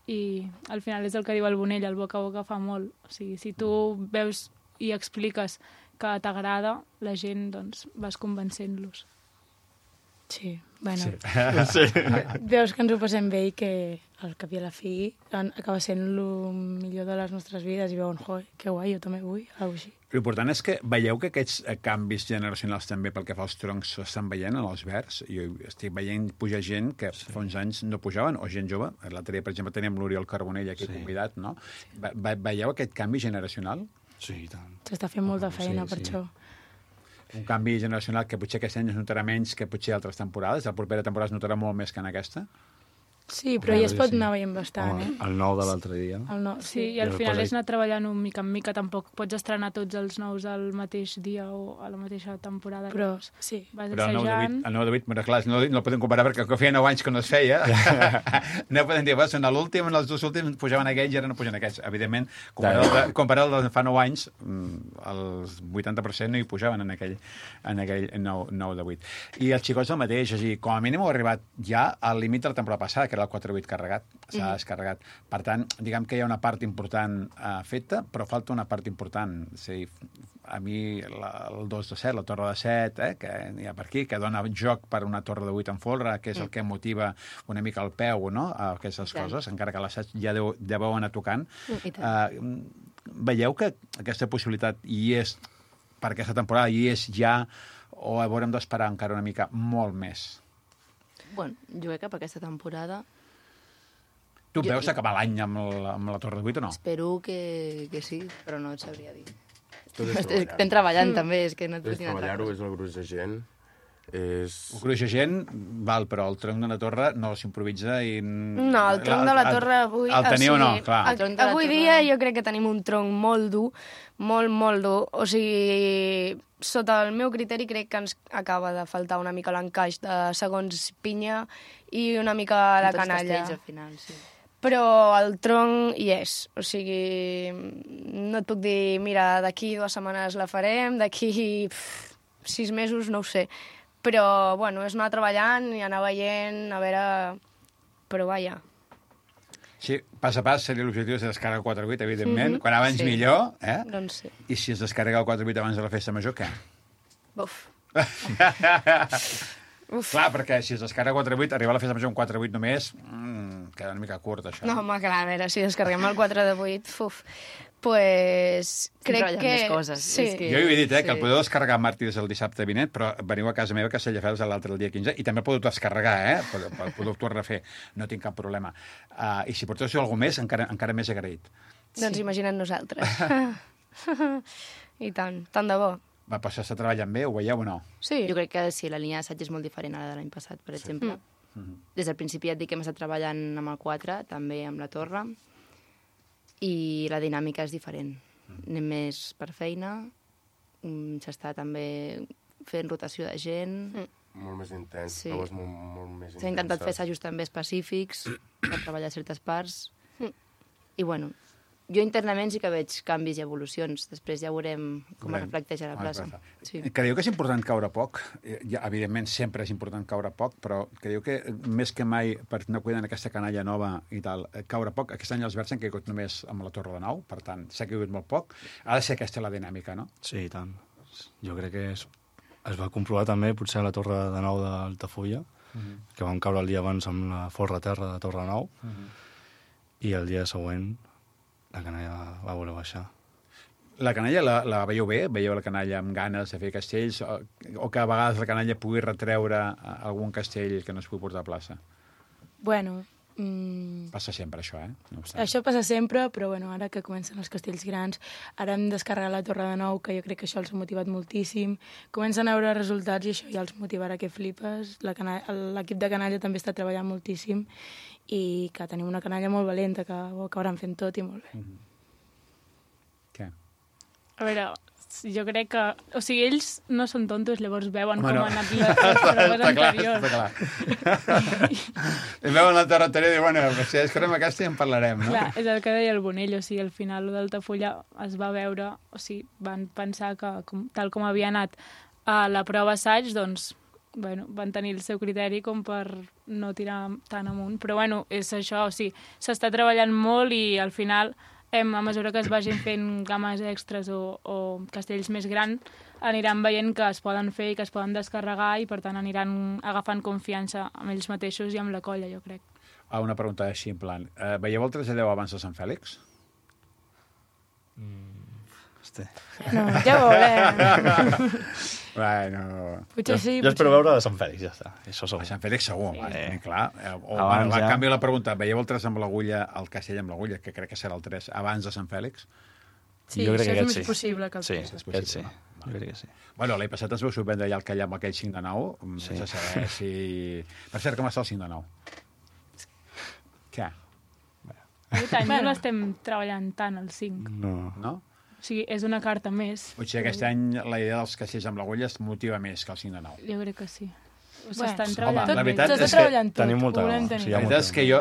i al final és el que diu el Bonell, el boca a boca fa molt. O sigui, si tu veus i expliques que t'agrada, la gent doncs, vas convencent-los.
Sí, bueno,
Sí.
veus que ens ho passem bé i que al cap i a la fi acaba sent el millor de les nostres vides i veuen, que guai, jo també vull, alguna així.
L'important és que veieu que aquests canvis generacionals també pel que fa als troncs s'estan veient en els verds. Jo estic veient pujar gent que fa uns anys no pujaven, o gent jove. L'altre dia, per exemple, teníem l'Oriol Carbonell aquí convidat, no? Veieu aquest canvi generacional?
Sí, i tant.
S'està fent molta feina per això.
Un canvi generacional que potser aquest any es notarà menys que potser altres temporades. La propera temporada es notarà molt més que en aquesta.
Sí, però ja es pot anar veient bastant,
El nou de l'altre dia.
Sí, i al final és anar treballant mica en mica. Tampoc pots estrenar tots els nous al mateix dia o a la mateixa temporada.
Però, sí.
Vas
Però el
assajant...
9 de 8, clar, no el podem comparar perquè feia 9 anys que no es feia. No podem dir, en l'últim, en els dos últims pujaven aquells i ara no pugen aquests. Evidentment, comparar el de fa 9 anys, el 80% no hi pujaven en aquell 9 de 8. I els xicots el mateix, és a dir, com a mínim heu arribat ja al límit de la temporada passada, que era el 4-8 carregat, s'ha descarregat. Per tant, diguem que hi ha una part important feta, però falta una part important. És a dir, a mi el 2 de 7, la torre de 7, que hi ha per aquí, que dona joc per una torre de 8 en folre, que és el que motiva una mica el peu, no?, a aquestes coses, encara que l'assaig ja deveu anar tocant. Veieu que aquesta possibilitat hi és, per aquesta temporada, hi és ja, o haurem d'esperar encara una mica molt més?
Bueno, jo crec que per aquesta temporada...
Tu veus acabar l'any amb la Torre de 8 o no?
Espero que sí, però no et sabria dir. Estem treballant també, és que no et puc dir una altra
treballar-ho, és el gruix de gent.
El gruix de gent, val, però el tronc de la torre no s'improvisa i...
No, el tronc de la torre avui...
El teniu o no? Clar.
Avui dia jo crec que tenim un tronc molt dur, molt dur. O sigui, sota el meu criteri crec que ens acaba de faltar una mica l'encaix de segons pinya i una mica la canalla.
Al final, sí.
Però el tronc hi és. O sigui, no et puc dir, mira, d'aquí 2 setmanes la farem, d'aquí 6 mesos, no ho sé. Però, bueno, és anar treballant i anar veient, a veure... Però, vaja.
Sí, pas a pas seria l'objectiu de descarregar el 4-8, evidentment. Quan abans millor, eh?
Doncs sí.
I si es descarrega el 4-8 abans de la festa major, què?
Buf.
Clar, perquè si es descarrega 4-8, arribar a la festa major amb 4-8 només, queda una mica curt, això.
No, home, clar, a veure, si descarreguem el 4 de 8, Pues crec
treballant
que...
més coses,
Sí.
és que-
Jo he dit, que el
Sí.
podeu descarregar Màrtirs el dissabte vinent, però veniu a casa meva a Castelldefels l'altre el dia 15, i també el podeu descarregar, podeu tornar a fer, no tinc cap problema. I si porteu alguna més, encara més agraït.
Doncs imagina't nosaltres. I tant de bo.
Va passar, està treballant bé, ho veieu o no?
Sí.
Jo crec que sí, la línia d'assaig és molt diferent a la de l'any passat, per exemple. Des del principi et dic que hem estat treballant amb el 4, també amb la torre, i la dinàmica és diferent. Anem més per feina, s'està també fent rotació de gent.
Molt més intens,
Sí.
proves molt més intenses.
S'ha intentat fer assajos també específics per treballar certes parts. I bueno, jo internament sí que veig canvis i evolucions. Després ja veurem com es reflecteix a la plaça. Sí.
Creieu que és important caure poc? Ja, evidentment, sempre és important caure poc, però creieu que més que mai, per anar cuidant aquesta canalla nova i tal, caure poc? Aquest any els Verds han caigut només amb la Torre de Nou, per tant, s'ha caigut molt poc. Ha de ser aquesta la dinàmica, no?
Sí, i tant. Jo crec que es va comprovar també, potser a la Torre de Nou d'Altafulla, que vam caure el dia abans amb la forra terra de Torre de Nou, i el dia següent la canalla va voler baixar.
La canalla la veieu bé? Veieu la canalla amb ganes de fer castells? O que a vegades la canalla pugui retreure algun castell que no es pugui portar a plaça?
Bueno,
Passa sempre, això, No obstant.
això passa sempre, però bueno, ara que comencen els castells grans, ara hem descarregat la Torre de Nou, que jo crec que això els ha motivat moltíssim. Comencen a veure resultats i això ja els motivarà que flipes. L'equip de canalla també està treballant moltíssim i que tenim una canalla molt valenta, que ho acabaran fent tot i molt bé.
Què?
A veure, jo crec que... O sigui, ells no són tontos, llavors veuen
Bueno.
com han anat les proves anteriors.
Està clar. I veuen la Torre anterior i diuen, bueno, si descarrem aquesta ja en parlarem, no?
Clar, és el que deia el Bonell, o sigui, al final d'Altafulla es va veure, o sigui, van pensar que tal com havia anat a la prova assaig, doncs, bueno, van tenir el seu criteri com per no tirar tan amunt. Però, bueno, és això, o sigui, s'està treballant molt i al final, a mesura que es vagin fent games extres o castells més grans, aniran veient que es poden fer i que es poden descarregar i, per tant, aniran agafant confiança amb ells mateixos i amb la colla, jo crec.
Una pregunta així, en plan, veieu el 3 a 10 abans de Sant Fèlix?
Hosti.
No, ja ho veurem.
Bueno...
Potser sí,
Jo espero veure de Sant Fèlix, ja està. Això
A
segur.
Sant Fèlix segur, clar.
Abans
En
ja.
canvi, la pregunta, veieu el 3 amb l'agulla, el castell amb l'agulla, que crec que serà el 3, abans de Sant Fèlix?
Sí,
Jo crec
això
que
és
aquest
més
sí.
possible que el
Sí,
tres.
aquest sí. Jo crec que sí.
Bueno, l'any passat es veu sorprendre ja el que hi ha amb aquell 5 de 9,
Sí.
sense saber si... Per cert, com està el 5 de 9? Què?
Aquest any no l'estem treballant tant, el 5.
No.
No?
O sigui, és una carta més.
O sigui, aquest any la idea dels castells amb l'agulla es motiva més que el 5 de 9.
Jo crec que sí.
Bueno,
S'estan
home,
treballant
la
bé.
veritat
S'està
és que
treballant tot,
tenim molta
ho volem
gana,
tenir.
sí, hi
La
ha
veritat és que jo,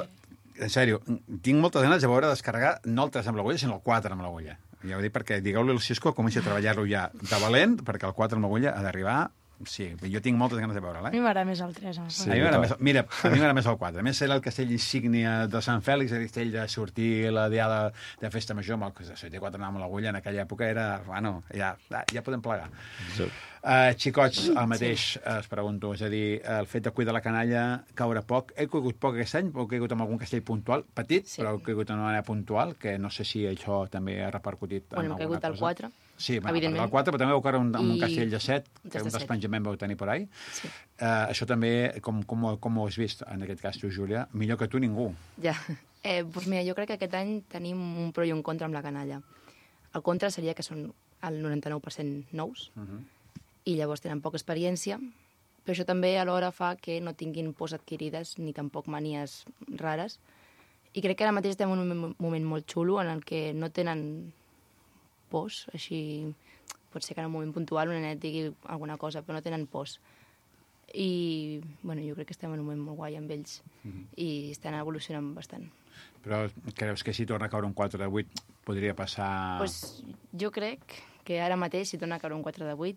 en sèrio, tinc moltes ganes de veure descarregar no el 3 amb l'agulla, sinó el 4 amb l'agulla. Ja ho dic perquè digueu-li al Xisco que comenci a treballar-lo ja de valent, perquè el 4 amb l'agulla ha d'arribar. Sí, jo tinc moltes ganes de veure'l,
A mi m'agrada més el 3.
Sí, a mi m'agrada més, mira, a mi m'agrada més el 4. A més, era el castell insígnia de Sant Fèlix, el castell de sortir la diada de festa major, amb el que de 4 anàvem a l'agulla, en aquella època era... Bueno, ja podem plegar.
Sí.
Xicots, el mateix, es pregunto, és a dir, el fet de cuidar la canalla, caure poc. He caigut poc aquest any, però he caigut amb algun castell puntual, petit,
Sí.
però he caigut d'una manera puntual, que no sé si això també ha repercutit en
Bueno, hem
alguna
caigut al
cosa.
4.
Sí, bueno,
evidentment.
el 4, però també vau caure amb un
I
castell de 7,
un
que un
de 7.
despenjament vau tenir por ahí.
Sí.
Això també, com ho has vist, en aquest cas tu, Júlia? Millor que tu, ningú.
Ja. Doncs mira, jo crec que aquest any tenim un pro i un contra amb la canalla. El contra seria que són el 99% nous i llavors tenen poca experiència, però això també alhora fa que no tinguin pors adquirides ni tampoc manies rares. I crec que ara mateix estem en un moment molt xulo en el que no tenen pors, així pot ser que en un moment puntual un nenet digui alguna cosa, però no tenen pors. I bueno, jo crec que estem en un moment molt guai amb ells i estan evolucionant bastant.
Però creus que si torna a caure un 4 de 8 podria passar...
Pues, jo crec que ara mateix, si torna a caure un 4 de 8,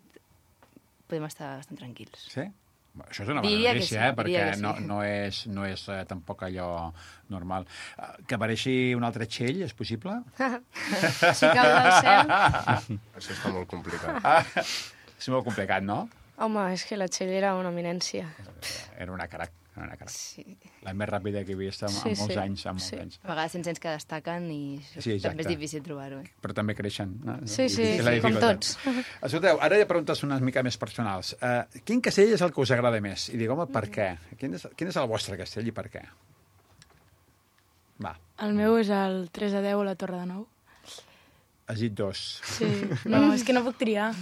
podem estar bastant tranquils.
Sí? Això és una bona
Diria que
notícia,
sí,
perquè
diria que sí.
no és tampoc allò normal. Que apareixi un altre Txell, és possible?
Si cau del cel...
Això està molt complicat.
És molt complicat, no?
Home, és que la Txell era una eminència.
Era una crac. Una cara.
Sí.
La més ràpida que he vist en molts anys.
A vegades se'n sents que destaquen i també és difícil trobar-ho.
Però també creixen. No?
Sí, com tots.
Escolteu, ara hi ha preguntes una mica més personals. Quin castell és el que us agrada més? I dic, home, per què? Quin és el vostre castell i per què? Va.
El meu és el 3-10 a la Torre de Nou.
Has dit 2.
Sí, no, és que no puc triar.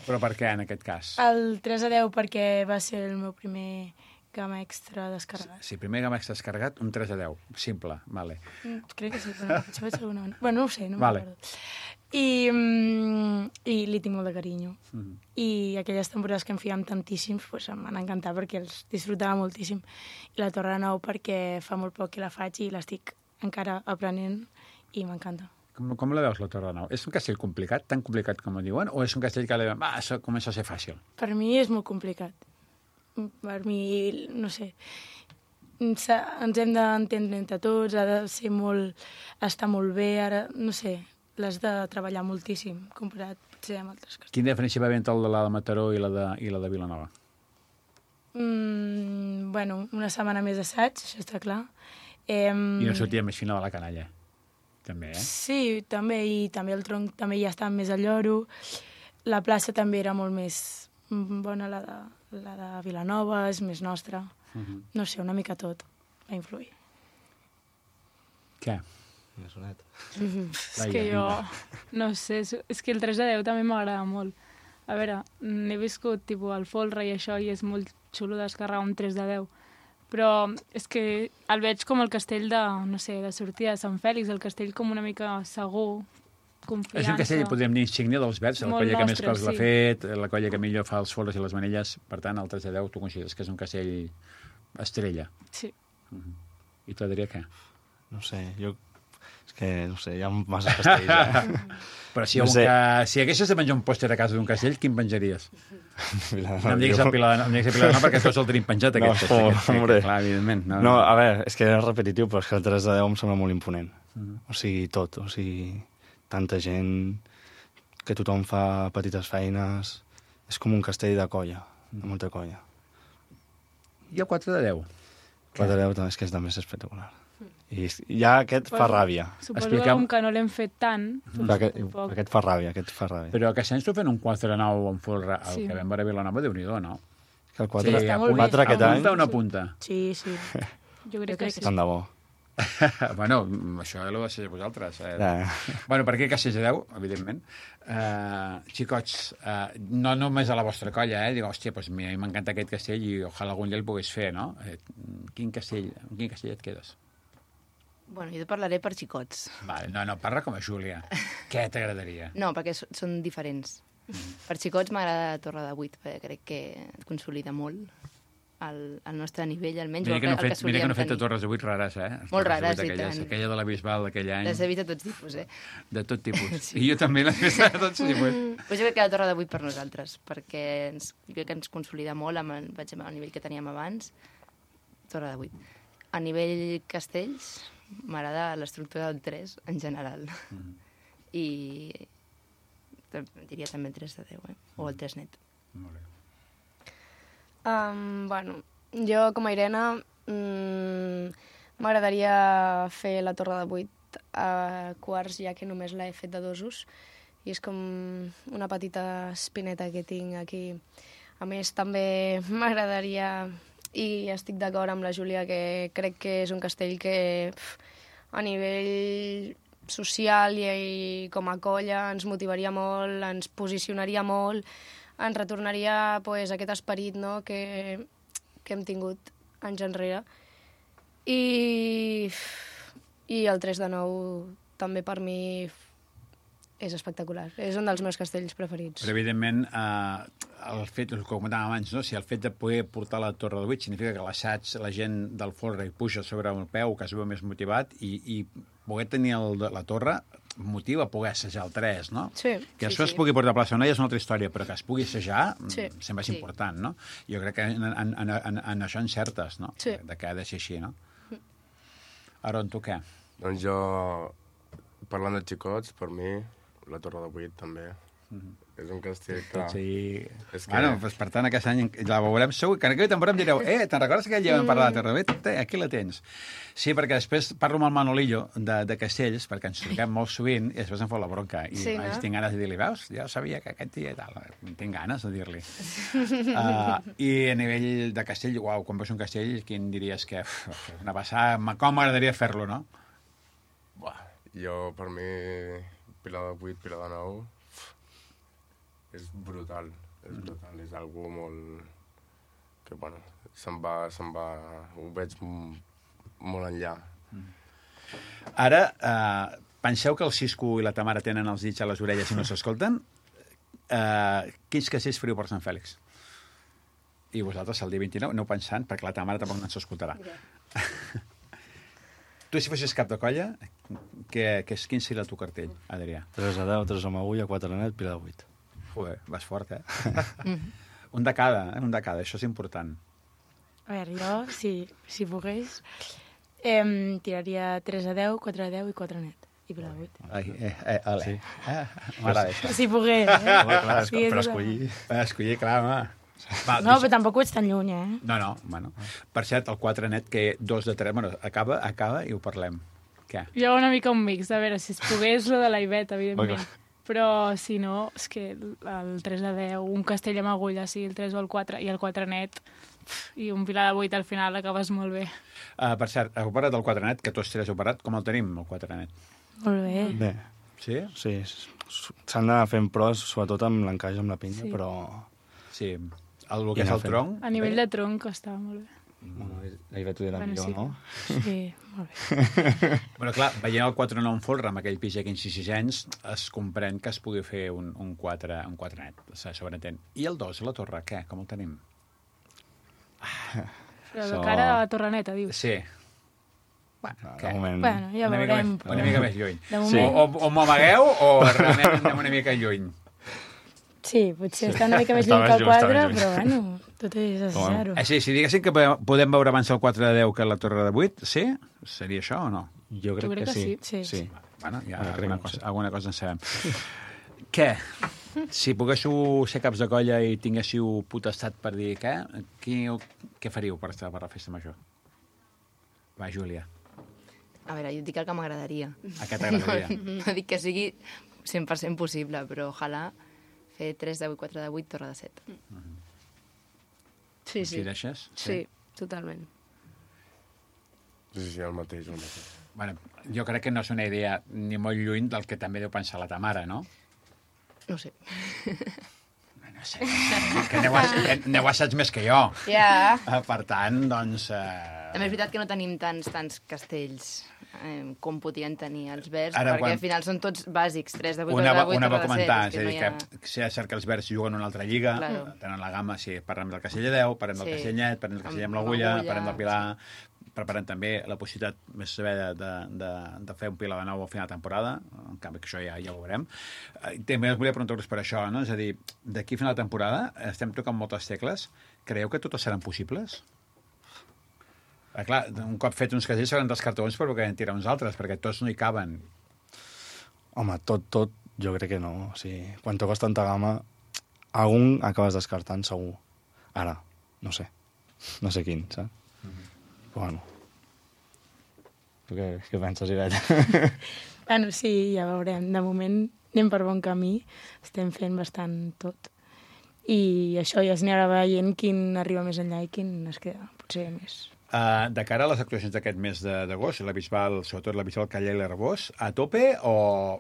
Però per què, en aquest cas?
El 3-10 perquè va ser el meu primer gamma extra descarregat.
Sí, primer gamma extra descarregat, un 3-10. Simple, vale.
Crec que sí, però això vaig alguna manera. Bueno, no ho sé, no
vale.
m'acordo. I li tinc molt de carinyo. I aquelles temporades que em fèiem tantíssims pues, em van encantar perquè els disfrutava moltíssim. I la Torre de Nou perquè fa molt poc que la faig i l'estic encara aprenent i m'encanta.
Com la veus, la Torre de Nou? És un castell complicat, tan complicat com ho diuen, o és un castell que això comença a ser fàcil?
Per mi és molt complicat. Per mi, no sé, ens hem d'entendre entre tots, ha de ser molt, estar molt bé, ara, no sé, l'has de treballar moltíssim, comparat potser amb altres castells.
Quina diferència va haver entre la de Mataró i la de Vilanova?
Bueno, una setmana més d'assaig, això està clar.
I una sortida més fina de la canalla. També,
Sí, també, i també el tronc també ja estava més al lloro. La plaça també era molt més bona, la de Vilanova, és més nostra. No sé, una mica tot va influir.
Què?
Una soneta.
És que jo, no sé, és que el 3-10 també m'agrada molt. A veure, n'he viscut tipus al Folre i això, i és molt xulo descarregar un 3-10. Però és que el veig com el castell de, no sé, de sortida de Sant Fèlix, el castell com una mica segur, confiança.
És un castell, podríem dir, insígnia dels Verds, la colla que més cols l'ha fet, la colla que millor fa els folres i les manilles, per tant, el 3-10 tu consideres que és un castell estrella.
Sí.
I tu diria què?
No sé, és que, no sé, hi ha massa castells,
Però si haguessis de penjar un pòster a casa d'un castell, quin penjaries? No em diguis el Pilar de Nou, perquè tots el tenim penjat, aquest castell. Clar, evidentment.
No, a veure, és que és repetitiu, però és que el 3-10 em sembla molt imponent. O sigui, tot. O sigui, tanta gent, que tothom fa petites feines. És com un castell de colla, de molta colla.
I el 4-10?
4-10 és que també és espectacular. I ja aquest fa ràbia.
Suposo que no l'hem fet tant.
Aquest fa ràbia.
Però que sents tu fent un 4-9 en folre, el que vam veure a Vilanova, Déu-n'hi-do, no?
Que el 4 aquest any...
Apunta o no apunta?
Sí. Jo crec que sí.
Tant de bo.
Bueno, això ho deixeu vosaltres. Bueno, per aquí que 6-10, evidentment. Xicots, no només a la vostra colla, dic, hòstia, doncs a mi m'encanta aquest castell i ojalà algun dia el pogués fer, no? Quin castell et quedes?
Bueno, jo parlaré per xicots.
Vale, no, parla com a Júlia. Què t'agradaria?
No, perquè són diferents. Per xicots m'agrada la Torre de 8, perquè crec que et consolida molt al nostre nivell, almenys.
Mira que no he fet Torres de 8 rares,
Molt rares, i tant.
Aquella de la Bisbal d'aquell any.
Les he vist de tots tipus,
De tot tipus. Sí. I jo també les he vist de tots tipus.
Pues jo crec que la Torre de 8 per nosaltres, perquè jo crec que ens consolida molt al nivell que teníem abans. Torre de 8. A nivell castells, m'agrada l'estructura del 3 en general. I diria també el 3-10, o el 3 net.
Molt bé.
Bueno, jo com a Irene m'agradaria fer la Torre de 8 a quarts, ja que només l'he fet de dosos, i és com una petita espineta que tinc aquí. A més, també m'agradaria, i estic d'acord amb la Júlia, que crec que és un castell que a nivell social i com a colla ens motivaria molt, ens posicionaria molt, ens retornaria aquest esperit, no?, que hem tingut anys enrere. I el 3-9 també per mi és espectacular. És un dels meus castells preferits.
Però, evidentment, el fet, el que comentàvem abans, no? Si el fet de poder portar la Torre de 8 significa que l'assaig, la gent del folre puja sobre el peu, que es veu més motivat, i poder tenir la torre motiva a poder assajar el 3, no?
Sí.
Que això es pugui portar a plaça o no ja és una altra història, però que es pugui assajar sempre és important, no? Jo crec que en això encertes, no?
Sí.
De que ha de ser així, no? Aron, tu què?
Doncs jo, parlant de xicots, per mi, la Torre de 8 també. És un castell, clar.
Sí.
És que...
Bueno, doncs, per tant, aquest any la veurem segur, que en aquella temporada em direu te'n recordes aquell dia vam parlar de Terravet? Aquí la tens. Sí, perquè després parlo amb el Manolillo de Castells, perquè ens truquem molt sovint, i després em fot la bronca. I
Sí, no?
tinc ganes de dir-li, veus? Ja sabia que aquest dia i tal. Tinc ganes de dir-li. I a nivell de castell, uau, quan veus un castell, quin diries que una passada, com m'agradaria fer-lo, no?
Buah, jo, per mi, Pilar de 8, Pilar de 9, és brutal. És algo molt... que, bueno, se'n va... ho veig molt enllà.
Ara, penseu que el Cisco i la Tamara tenen els dits a les orelles i no s'escolten? Quins castells feriu per Sant Fèlix? I vosaltres, el dia 29, aneu pensant, perquè la Tamara tampoc no s'escoltarà. Tu, si fossis cap de colla, quin seria el teu cartell, Adrià?
3 a 10, 3 amb agulla, 4 a net, Pilar de 8.
Joder, vas fort, Un de cada, això és important.
A veure, jo, si pogués, tiraria 3 a 10, 4 a 10 i 4 a net. I Pilar de 8.
Ale.
Sí.
M'agrada això.
Si pogués,
Home, clar,
Sí,
per
és
escollir...
Escollir, clar, home. Va,
No, però tampoc ho ets tan lluny,
No, bueno. Per cert, el 4 net, que 2 de 3... Bueno, acaba i ho parlem. Què?
Jo una mica un mix, a veure, si es pogués lo de la Ivet, evidentment.
Clar.
Però, si no, és que el 3 a 10, un castell amb agulla, sí, el 3 o el 4, i el 4 net, i un Pilar de 8 al final acabes molt bé.
Per cert, heu parlat del 4 net, que tots 3 heu parlat. Com el tenim, el 4 net?
Molt bé.
Bé,
Sí?
sí, s'han d'anar fent pros, sobretot amb l'encaix amb la pinya,
Sí.
però...
Sí. El que
I
és
anar
el
fent.
tronc...
A nivell de tronc està molt bé.
Bueno, la Ivet ho dirà
Bueno,
millor,
sí.
no?
Sí, molt bé.
Bueno, clar, veient el 4 9 en folre amb aquell pis aquí en 6 anys, es comprèn que es pugui fer un 4 net, se sobreentén. I el 2, la torre, què? Com el tenim?
Però de cara a la Torreneta, dius.
Sí.
De moment...
Bueno, ja
una mica
veurem.
una mica més lluny.
De
Sí.
moment,
O m'amagueu o realment anem una mica lluny.
sí, potser està una mica més
Està
lluny
més
que el
lluny, està
4,
més lluny.
però bueno, tot és assajar-ho.
Sí, si diguéssim que podem veure abans el 4 de 10 que la torre de 8, sí? Seria això o no?
Jo crec,
crec
que
que
sí.
sí.
Bueno, ja
Bueno, crec que sí.
alguna cosa en sabem. Què? Si poguéssiu ser caps de colla i tinguéssiu potestat per dir què faríeu per estar per la festa major? Va, Júlia.
A veure, jo et dic el que m'agradaria.
A què t'agradaria?
No dic que sigui 100% possible, però ojalà fer 3 de 8, 4 de 8, torre de 7.
Sí, sí.
Coincideixes?
Sí, totalment.
Sí, el mateix.
Bueno, jo crec que no és una idea ni molt lluny del que també deu pensar la Tamara, no?
No ho sé.
No sé, que aneu assaig més que jo.
Ja.
Per tant, doncs...
També és veritat que no tenim tants castells com podien tenir els Verds,
Ara,
perquè
quan-
al final són tots bàsics, 3 de 8,
Una
4 de 8,
va
torre de 7.
comentar,
és
és a dir,
no hi ha...
que si és cert que els Verds juguen una altra lliga,
Claro.
tenen la gamma, sí, parlem del Castell de 10, parlem del
Sí.
Castell Net, parlem del Castell amb l'agulla, parlem del Pilar, preparem també la possibilitat més saber de fer un Pilar de 9 al final de temporada, en canvi que això ja ho veurem. També us volia preguntar-vos per això, no? És a dir, d'aquí a final de temporada estem tocant moltes tecles. Creieu que totes seran possibles? Clar, un cop fet uns casells seran dels cartons, però que en tirar uns altres, perquè tots no hi caben.
Home, tot, jo crec que no. O sigui, quan toques tanta gamma, algun acabes descartant, segur. Ara, no sé quin, saps? Però bueno. Tu què penses, Ivet?
Bueno, sí, ja veurem. De moment anem per bon camí, estem fent bastant tot. I això ja es anirà veient quin arriba més enllà i quin es queda, potser més.
De cara a les actuacions d'aquest mes d'agost, la Bisbal, sobretot la Bisbal Callà i l'Arbós, a tope o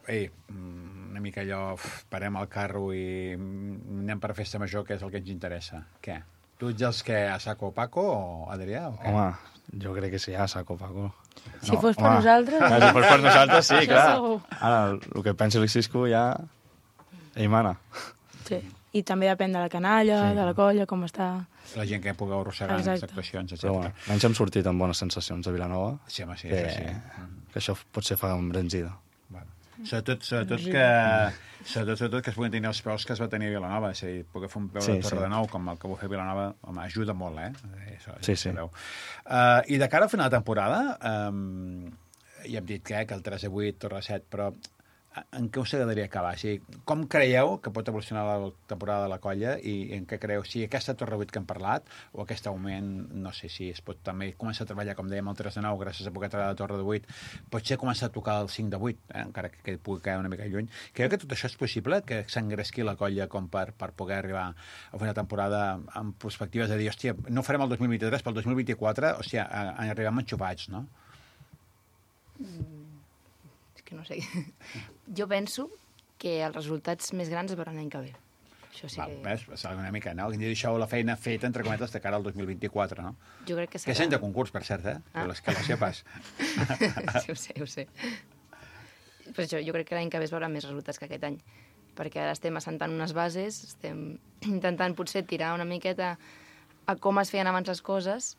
una mica allò, parem el carro i anem per festa major, que és el que ens interessa? Què? Tu ets els que a saco o Paco o Adrià? O què?
Home, jo crec que sí, a saco, Paco.
Si fos per nosaltres...
Si fos per nosaltres, sí,
Això
clar.
segur.
Ara, el que pensi el Cisco ja... Ell mana.
Sí. I també depèn de la canalla,
Sí.
de la colla, com està...
La gent que pugueu arrossegar en les
Exacte.
actuacions, etc.
Però bueno, l'any hem sortit amb bones sensacions a Vilanova.
Sí, home, sí,
que,
això sí.
que això potser fa embranzida.
Bueno. Sobretot que es puguin tenir els peus que es va tenir a Vilanova, és a dir, poder fer un peu de Torre de Nou com el que vau fer a Vilanova, home, ajuda molt, Això,
Sí.
sabeu. I de cara al final de temporada, ja hem dit que el 3 de 8, Torre de 7, però en què us agradaria acabar? O sigui, com creieu que pot evolucionar la temporada de la colla i en què creieu? Si aquesta Torre 8 que hem parlat o aquest augment, no sé si es pot també començar a treballar, com dèiem, el 3 de 9, gràcies a poder treballar la Torre de 8, potser començar a tocar el 5 de 8, encara que pugui quedar una mica lluny. Creieu que tot això és possible? Que s'engresqui la colla com per poder arribar a fer una temporada amb perspectives de dir, hòstia, no farem el 2023, però el 2024, o sigui, arribem enxufats, no?
És que no sé. Jo penso que els resultats més grans es veuran l'any que ve. Això sí que...
Ves, una mica, no? Que deixeu la feina feta, entre cometes, de cara al 2024, no?
Jo crec que serà...
Que és any de concurs, per cert, que la sepas.
Sí, ho sé. Per això, jo crec que l'any que ve es veuran més resultats que aquest any. Perquè ara estem assentant unes bases, estem intentant potser tirar una miqueta a com es feien abans les coses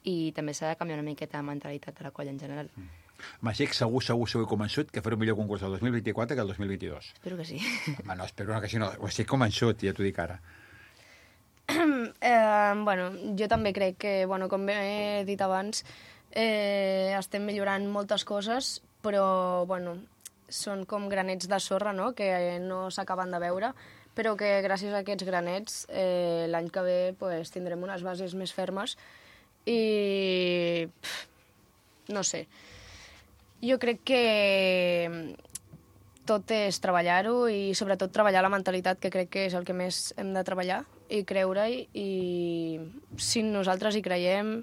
i també s'ha de canviar una miqueta la mentalitat de la colla en general.
M'estic segur convençut que faré un millor concurs el 2024 que el 2022.
Espero que sí.
Home, no, espero que sí, no. Ho estic convençut, ja t'ho dic ara.
Bueno, jo també crec que, bueno, com he dit abans, estem millorant moltes coses, però, bueno, són com granets de sorra, no?, que no s'acaben de veure, però que gràcies a aquests granets l'any que ve pues, tindrem unes bases més fermes i... no sé. Jo crec que tot és treballar-ho i sobretot treballar la mentalitat, que crec que és el que més hem de treballar i creure-hi, i si nosaltres hi creiem,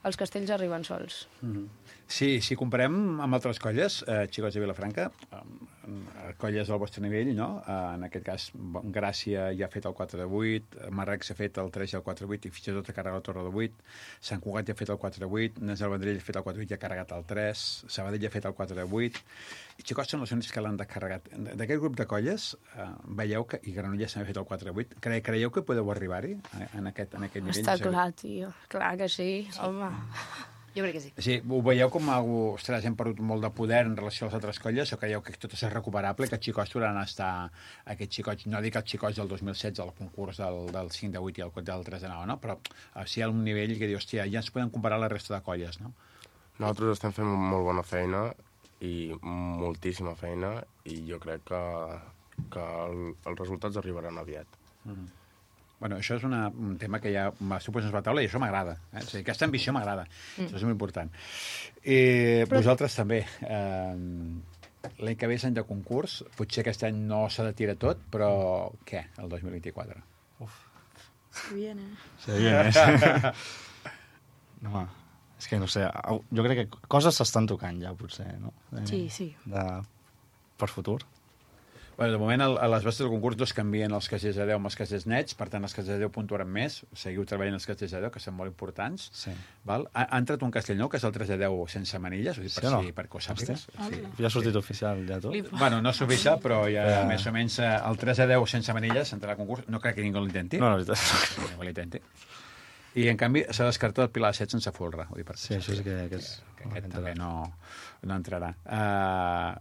els castells arriben sols.
Sí, si comparem amb altres colles, xicots de Vilafranca, colles del vostre nivell, no? En aquest cas, Gràcia ja ha fet el 4 de 8, Marrecs ha fet el 3 i el 4 de 8, i fins i tot ha carregat la Torre de 8, Sant Cugat ja ha fet el 4 de 8, Nes del Vendrell ha fet el 4 de 8 i ha carregat el 3, Sabadell ja ha fet el 4 de 8, i xicots són els únics que l'han descarregat. D'aquest grup de colles, veieu que, i Granollers també ha fet el 4 de 8, creieu que podeu arribar-hi en aquest nivell?
Està clar, tio, clar que sí, home.
Jo crec que sí.
Sí, ho veieu com algú, ostres, hem perdut molt de poder en relació a les altres colles, o creieu que tot és recuperable, que els xicots tornaran a estar, aquests xicots, no dic els xicots del 2016, el concurs del 5 de 8 i el del 3 de 9, no? Però si hi ha un nivell que diu, hòstia, ja ens podem comparar la resta de colles, no?
Nosaltres estem fent molt bona feina i moltíssima feina, i jo crec que els resultats arribaran aviat.
Bueno, això és un tema que ja m'ha posat a la taula i això m'agrada. O sigui, aquesta ambició m'agrada. Això és molt important. Vosaltres també. L'any que ve és any de concurs. Potser aquest any no s'ha de tirar tot, però què, el 2024?
Se viene.
Se viene. No, és que no sé, jo crec que coses s'estan tocant ja, potser, no?
Sí.
Per futur.
Bueno, de moment, a les bases del concurs dos canvien els castells de 10 amb els castells nets, per tant, els castells de 10 puntuaran més. Seguiu treballant els castells de 10, que són molt importants.
Sí.
Val? Ha entrat un castell nou, que és el 3 de 10 sense manilles, ho dic perquè ho sàpigues.
Sí. Ja ha sortit oficial, ja tot.
Bueno, no és oficial, però ja més o menys el 3 de 10 sense manilles entrarà al concurs. No crec que ningú l'intenti.
No, la veritat.
Ningú l'intenti. I, en canvi, s'ha descartat el Pilar 7 sense folre.
Sí, això sí que és...
Aquest també no entrarà.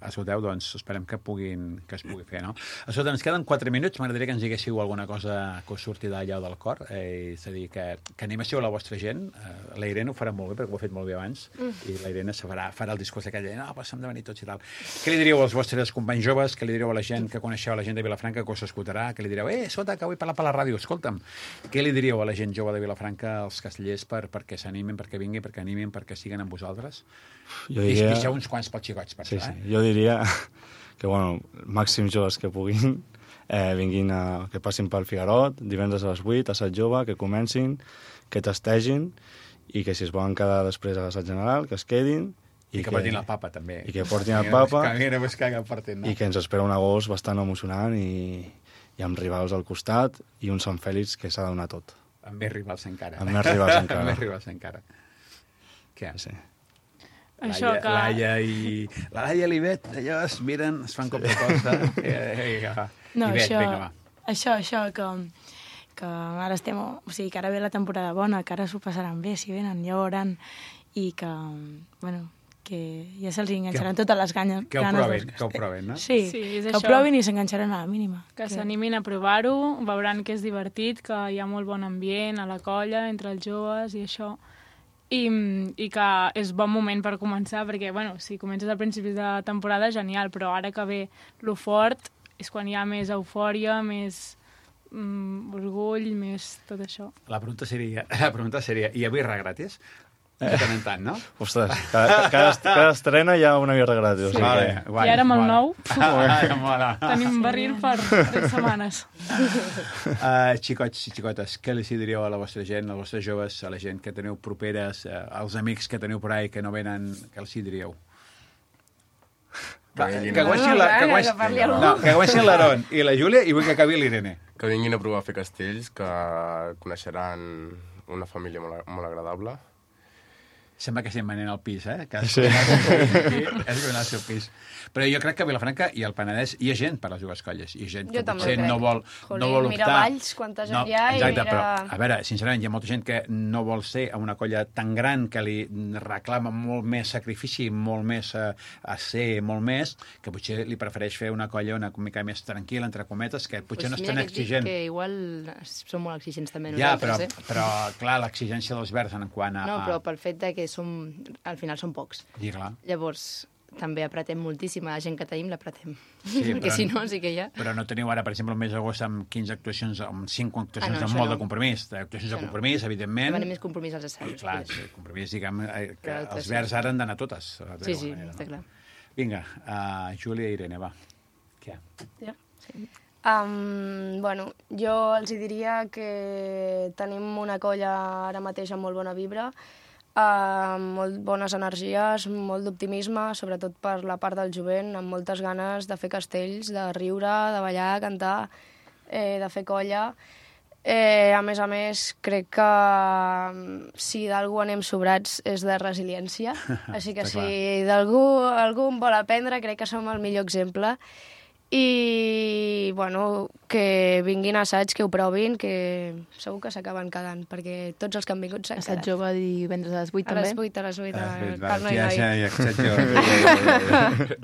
Escolteu, doncs, esperem que es pugui fer, no? Escolta, ens queden 4 minuts. M'agradaria que ens diguéssiu alguna cosa que us surti d'allà del cor. És a dir, que animéssiu la vostra gent. La Irene ho farà molt bé, perquè ho ha fet molt bé abans, i la Irene farà el discurs aquell de no, passem de venir tots i tal. Què li diríeu als vostres companys joves? Què li diríeu a la gent que coneixeu, a la gent de Vilafranca, que us escoltarà? Què li diríeu? Escolta, que vull parlar per la ràdio, escolta'm. Què li diríeu a la gent jove de Vilafranca, als castellers, perquè s'animin, perquè vinguin, perquè animin, perquè siguen amb vosaltres?
Jo diria...
Deixeu uns quants pels xicots, per això,
Jo diria que, bueno, màxims joves que puguin vinguin que passin pel Figarot, divendres a les 8, assaig jove, que comencin, que tastegin, i que si es volen quedar després a l'assaig general, que es quedin.
I que portin el papa, també.
I que portin el papa.
I
que ens espera un agost bastant emocionant i amb rivals al costat i un Sant Fèlix que s'ha de donar tot.
Amb més rivals encara.
Amb més rivals encara.
Amb més rivals encara. Què?
Sí.
Això que...
Laia i l'Ivet, allò es miren, es fan com de cosa.
No,
Ivet, vinga, va.
Això que ara estem... O sigui, que ara ve la temporada bona, que ara s'ho passaran bé, si venen, ja ho veuran, i que, bueno, que ja se'ls enganxaran totes les ganes.
Que ho provin, no?
Sí,
és
que
això.
ho provin i s'enganxaran a la mínima.
Que s'animin a provar-ho, veuran que és divertit, que hi ha molt bon ambient a la colla, entre els joves i això, i que és bon moment per començar, perquè, bueno, si comences al principi de temporada, genial, però ara que ve lo fort és quan hi ha més eufòria, més orgull, més tot això.
La pregunta seria, hi ha birra gratis? De tant en tant, no?
Ostres, cada estrena hi ha una birra gratis.
Sí.
Vale,
I ara amb el nou
mola.
tenim barril per 3 setmanes.
Xicots i xicotes, què els diríeu a la vostra gent, als vostres joves, a la gent que teniu properes, als amics que teniu por ahí que no venen, què els diríeu? Que guanyin l'Aaron i la Júlia i vull que acabi l'Irene.
Que vinguin a provar a fer castells, que coneixeran una família molt agradable.
Sembla que estem venent al pis, Sí. És donar el seu pis. Però jo crec que a Vilafranca i al Penedès hi ha gent per a les dues colles. Hi ha gent que potser no vol optar.
Mira Valls, quanta gent hi ha,
exacte,
i mira...
Però, a veure, sincerament, hi ha molta gent que no vol ser a una colla tan gran que li reclama molt més sacrifici, molt més a ser, molt més, que potser li prefereix fer una colla una mica més tranquil·la, entre cometes, que potser no és tan exigent.
Que igual som molt exigents també
nosaltres, però clar, l'exigència dels verds en quant a...
No, però pel fet de que al final som pocs.
I clar.
Llavors, també apretem moltíssim. La gent que tenim l'apretem.
Sí,
perquè si no, sí que hi ha...
Però no teniu ara, per exemple, el mes d'agost amb 15 actuacions, amb 5 actuacions amb molt de compromís. Actuacions de compromís, evidentment.
Demanem més compromís als assajos.
Clar, sí, compromís, diguem, que els verds ara han d'anar totes.
Sí, està clar.
Vinga, Júlia i Irene, va. Què?
Ja. Sí. Bueno, jo els diria que tenim una colla ara mateix amb molt bona vibra, molt bones energies, molt d'optimisme, sobretot per la part del jovent, amb moltes ganes de fer castells, de riure, de ballar, cantar, de fer colla. A més, crec que si d'algú anem sobrats és de resiliència, així que si d'algú en vol aprendre, crec que som el millor exemple. I, bueno, que vinguin a assaig, que ho provin, que segur que s'acaben quedant, perquè tots els que han vingut s'han quedat.
Assaig jove divendres a les 8 també?
A les 8,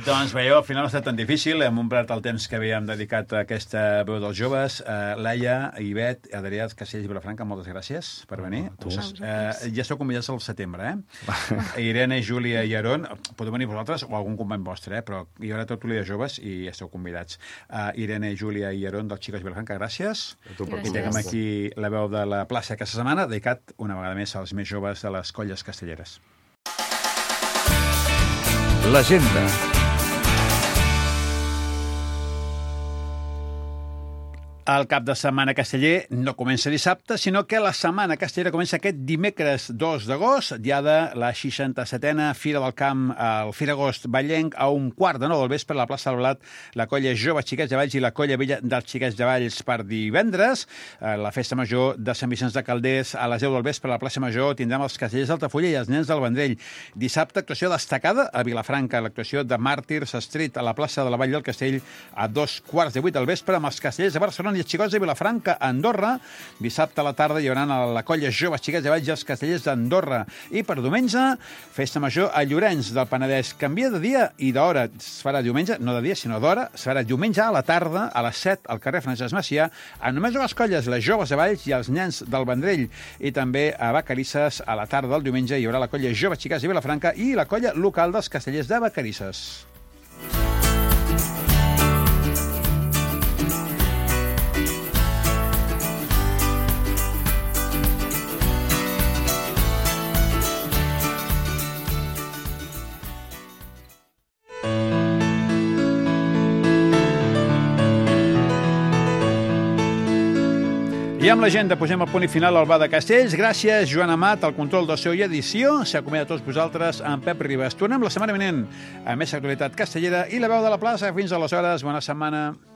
Doncs veieu, al final no ha estat tan difícil, hem omplert el temps que havíem dedicat a aquesta veu dels joves. Laia, Ivet, Adrià, Castells i Vilafranca, moltes gràcies per venir. Ja esteu convidats al setembre, Irene, Júlia i Aaron, podeu venir vosaltres o algun company vostre, però hi haurà tot l'Ulia de joves i esteu convidats. Irene, Júlia i Aaron dels Xicots Vilafranca, gràcies. I tenim aquí la veu de la plaça aquesta setmana, dedicat una vegada més als més joves de les colles castelleres.
L'agenda.
El cap de setmana casteller no comença dissabte, sinó que la setmana castellera comença aquest dimecres 2 d'agost, diada la 67a Fira del Camp al Firagost Vallenc, a 1:15 del vespre a la plaça del Blat, la colla Jove Xiquets de Valls i la colla Vella dels Xiquets de Valls per divendres. La festa major de Sant Vicenç de Calders a les 10 del vespre a la plaça Major tindrem els castellers d'Altafulla i els nens del Vendrell. Dissabte, actuació destacada a Vilafranca, l'actuació de Màrtirs Street a la plaça de la Vall del Castell a 2:15 del vespre amb els castellers de Barcelona i els Xicots de Vilafranca a Andorra. Dissabte a la tarda hi haurà la colla Jove Xiquets de Valls i els castellers d'Andorra. I per diumenge, festa major a Llorenç del Penedès. Canvia de dia i d'hora. Es farà diumenge, no de dia, sinó d'hora. Es farà diumenge a la tarda, a les 7, al carrer Francesc Macià, amb només dues colles, les Joves de Valls i els nens del Vendrell. I també a Vacarisses, a la tarda del diumenge, hi haurà la colla Jove Xiquets de Vilafranca i la colla local dels castellers de Vacarisses. I amb l'agenda posem el punt i final al Bar de Castells. Gràcies, Joan Amat, al control de so i edició. S'acomiada a tots vosaltres amb Pep Ribas. Tornem la setmana vinent a més actualitat castellera i la veu de la plaça. Fins aleshores, bona setmana.